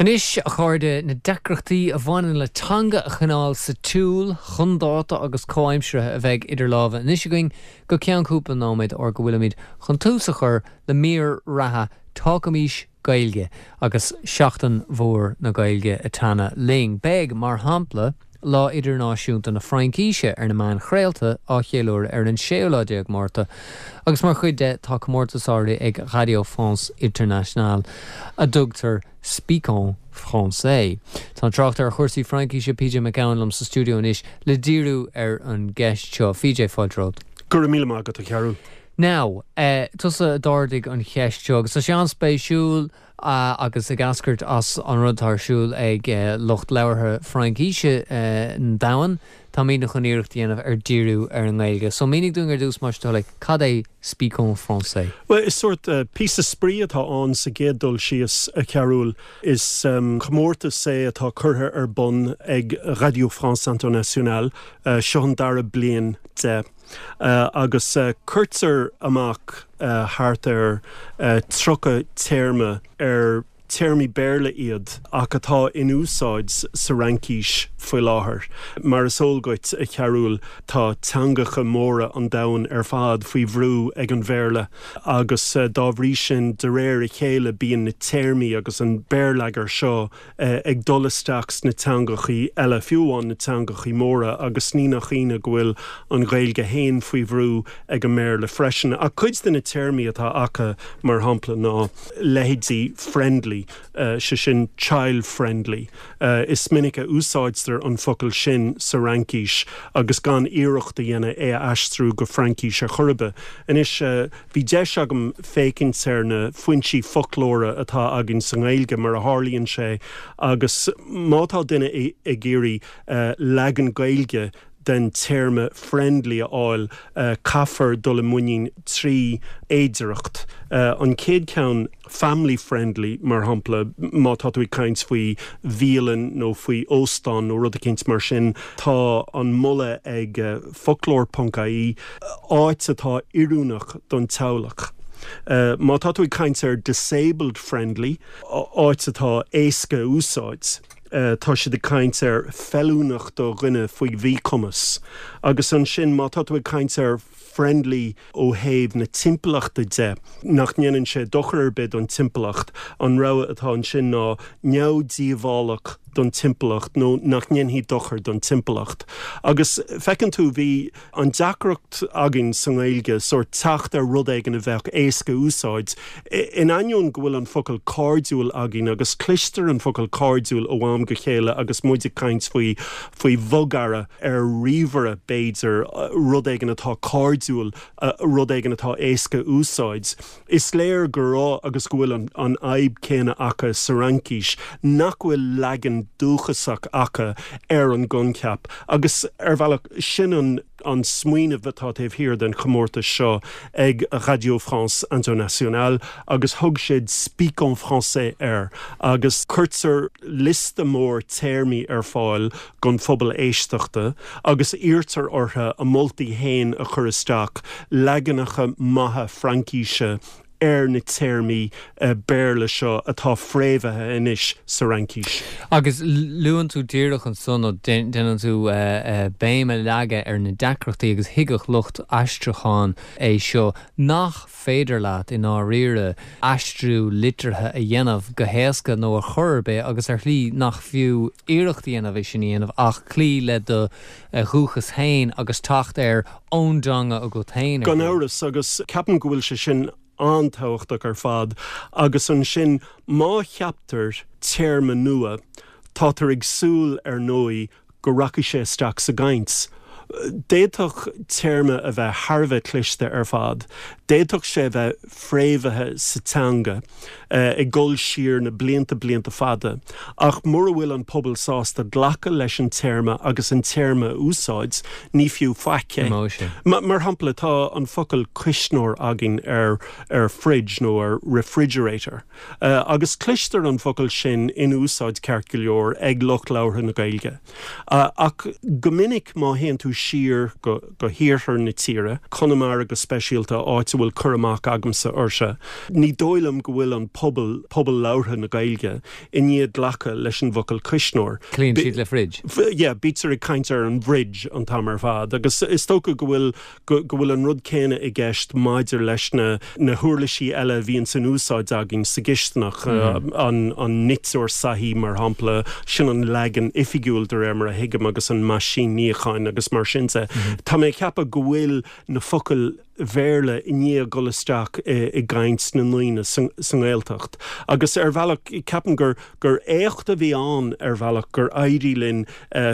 Anois, a chairde, na deacrachtaí a bhaineann le teanga a choinneáil sa tsiúl, chun dáta agus comhaimseartha a bheidh idir lámha anois againn go ceann cúpla nóiméad óir go bhfuilimid chun tús a chur le mír reatha Talkaimís Gaeilge agus Seachtain Mhór na Gaeilge ag teannadh linn. Beidh, mar shampla, Lá Idirnáisiúnta na Fraincíse ar na meáin chraolta á cheiliúradh ar an séú lá déag Márta agus mar chuid de tá comórtas áirithe ag Radio France Internationale a dtugtar Speakons Français. Tá an tráchtaire ar chúrsaí Fraincíse P J Mac Gabhann liom sa stiúideo anois le díriú ar an gceist seo. P J, fáilte romhat. Go raibh míle maith agat, a Chearúil. Now, uh, tusa a d'ardaigh an cheist seo, agus tá sé an-spéisiúil uh, agus ag eascairt as an rud atá ar siúl ag uh, lucht labhartha Fraincise uh, an domhain, Táimid chun iarracht a dhéanamh ar díriú ar an nGaeilge. So mínigh dúinn ar dtús más le cad é Speak en français. Well is sort uh, píosa spraoi atá ann sa gcéad dul síos a Chearúil is um, comórtas é atá curtha ar bun ag Radio France Internationale uh, seo an dara bliain de. Uh, agus uh, cuirtear amach uh, thart ar uh, tríocha téarma ar téarmaí Béarla iad ach atá in úsáid sa Fhraincis faoi láthair. Mar is eol duit a Chearúil tá teangacha móra an domhain ar fad faoi bhrú ag an Bhéarla agus uh, dá bhrí sin de réir a chéile bíonn na téarmaí agus an béarlagair seo uh, ag dul isteach sna teangachaí eile fiú amháin na teangachaí móra agus ní nach ionadh go bhfuil an Ghaeilge féin faoi bhrú ag an mBéarla freisin. A cuid de na téarmaí atá acu mar shampla ná leithéidí friendly uh, sé sin child friendly. Uh, is minic a úsáidtear an focal sin sa Fhraincis agus gan iarracht a dhéanamh é a aistriú go Fraincis ar chor ar bith. Anois uh, bhí deis agam féachaint ar na foinsí foclóra atá againn sa nGaeilge mar a tharlaíonn sé agus má tá duine ag iarraidh uh, leagan Gaeilge den téarma friendly a fháil uh, caithfear dul i muinín trí fhéidearthacht. Uh, an chéad cheann family friendly mar shampla má tá tú ag caint faoi bhialann nó faoi óstán nó rud éicint mar sin tá an moladh ag uh, foclóir.ie áit atá oiriúnach don teaghlach. Uh, má tá tú ag caint ar disabled friendly áit atá éasca úsáid. Uh, tá siad ag caint ar feiliúnach do dhuine faoi mhíchumas. Agus ansin má tá tú ag caint ar friendly ó thaobh na timpeallachta de nach ndéanann sé dochar ar bith don timpeallacht an rogha atá ansin ná neamhdhíobhálach don timpeallacht nó nach ndéanfaidh dochar don timpeallacht. Agus feiceann tú bhí an deacracht againn sa nGaeilge sórt teacht ar rud éigin a bheadh éasca úsáid. In ainneoin go bhfuil an focal cairdiúil againn agus cloistear an focal cairdiúil ó am go chéile agus muid ag caint faoi faoi bhogearra ar ríomhaire b'fhéidir rud éigin atá cairdiúil rud éigin atá éasca úsáid. Is léir go raibh agus go bhfuil an, an fhadhb céanna acu sa Fhraincis nach bhfuil leagan dúchasach acu ar an gcoincheap agus ar bhealach sin an an smaoineamh atá taobh thiar den chomórtas seo ag Radio France Internationale agus thug siad Speak en français air agus cuirtear liosta mór téarmaí ar fáil don phobal éisteachta agus iarrtar orthu a moltaí féin a chur isteach leaganacha maithe Fraincise ar na téarmaí uh, Béarla seo atá fréamhaithe anois sa Fhraincis. Agus luann tú díreach ansan ó déanann tú uh, uh, béim a leagadh ar na deacrachtaí agus thuigfeadh lucht aistriúcháin é seo nach féidir leat i ndáiríre aistriú liteartha a dhéanamh go héasca nó ar chor ar bith agus ar shlí nach fiú iarracht a dhéanamh é sin a dhéanamh ach cloí le do dhúchas féin agus teacht ar ón dteanga agat féin. Gan amhras agus ceapaim go bhfuil sé sin an-tábhachtach ar fad agus ansin má cheaptar téarma nua tátar ag súil ar ndóigh go rachaidh sé isteach sa gcaint. D'fhéadfadh téarma a bheith thar a bheith cliste ar fad, D'fhéadfadh sé bheith fréamhaithe sa teanga uh, ag dul siar na blianta blianta fada, ach mura bhfuil an pobal sásta glacadh leis an téarma agus an téarma úsáid ní fiú faic é. Ma, mar shampla tá an focal cuisneoir againn ar ar fridge nó ar refrigerator. Uh, agus cloistear an focal sin in úsáid ceart go leor ag lucht labhartha na Gaeilge. Uh, ach go minic má théann tú siar go, go hiarthar na tíre, Conamara go speisialta áit a bhfuil cur amach agamsa uirthi. Ní dóigh liom go bhfuil an pobal pobal labhartha na Gaeilge i ndiaidh glacadh leis an bhfocal cuisneoir. Cloíonn siad le fridge. Yeah, bítear ag caint ar an bhfridge an t-am ar fad, agus is dócha go bhfuil go, go bhfuil an rud céanna i gceist maidir leis na, na huirlisí eile bhíonn san úsáid againn sa gcisteanach mm. uh, an, an niteoir soithí mar shampla sin an leagan oifigiúil de réir mar a thuigim agus an meaisín níocháin agus mar sin de. Mm -hmm. Tá mé ag ceapadh go bhfuil na focail Bhéarla i ndiaidh dul isteach i gcaint na ndaoine sa nGaeltacht. Agus ar bhealach ceapaim gur gur éacht a bhí ann ar bhealach gur éirigh linn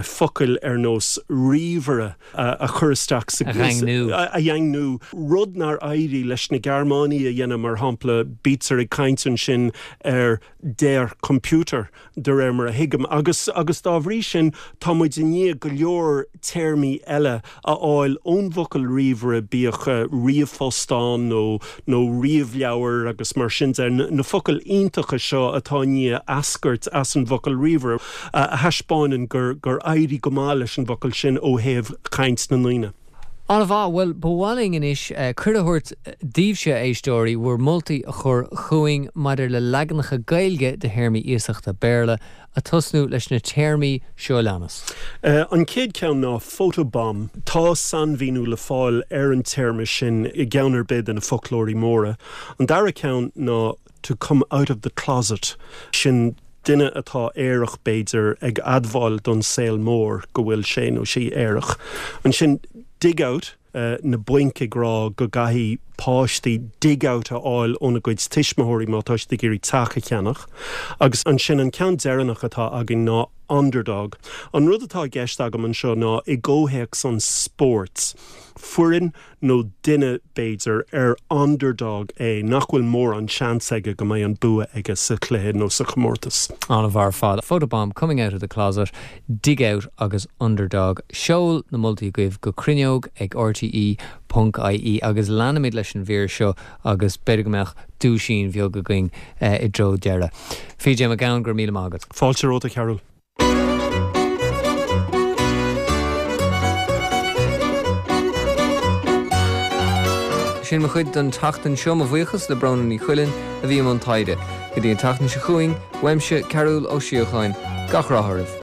focail ar nós ríomhaire a chur isteach sa A dhaingniú. A dhaingniú, rud nár éirigh leis na Gearmánaigh a dhéanamh mar shampla bítear ag caint ansin ar der Computer de réir mar a thuigim agus agus dá bhrí sin tá muid i ndiaidh go leor téarmaí eile a fháil ón bhfocal ríomhaire bíodh ríomhphost ann nó nó ríomhleabhar agus mar sin de na focail iontacha seo atá i ndiaidh eascairt as an bhfocal ríomhaire a thaispeánann gur gur éirigh go maith leis an bhfocal sin ó thaobh chaint na ndaoine. An-mhaith, bhuel, ba mhaith linn anois cuireadh a thabhairt daoibhse, a éisteoirí, bhur moltaí a chur chugainn maidir le leaganacha Gaeilge de théarmaí iasachta Béarla, ag tosnú leis na téarmaí seo a leanas. An chéad cheann ná photobomb. Tá sainmhíniú le fáil ar an téarma sin i gceann ar bith de na foclóirí móra. An dara ceann ná to come out of the closet, sin duine atá aerach b'fhéidir ag admháil don saol mór go bhfuil sé nó sí aerach. Ansin dig out, na bainc ag rá go gcaithfidh páistí dig out a fháil óna gcuid tuismitheoirí má tá siad ag iarraidh teach a cheannach. Agus ansin an ceann deireanach atá againn ná underdog. An rud atá i gceist agam anseo ná i gcomhthéacs an spóirt, foireann nó duine b'fhéidir ar underdog é nach bhfuil mórán seans aige go mbeidh an bua aige sa chluiche nó sa chomórtas. An-mhaith ar fad. Photobomb, Coming Out of the Closet, Dig Out agus Underdog. Seol na moltaí agaibh go cruinneog ag rte ponc ie agus leanfaimid leis an mhír seo agus b'fhéidir go mbeadh duaisín bheag againn i dtreo deireadh. PJ Mac Gabhann, go raibh míle maith agat. Fáilte romhat, a Chearúil. Sin mo chuid don tseachtain seo, mo bhuíochas le Bróna Ní Chuilinn a bhí i mbun taighde. Go dtí an tseachtain seo chugainn, uaimse, Cearúl Ó Síocháin, gach rath oraibh.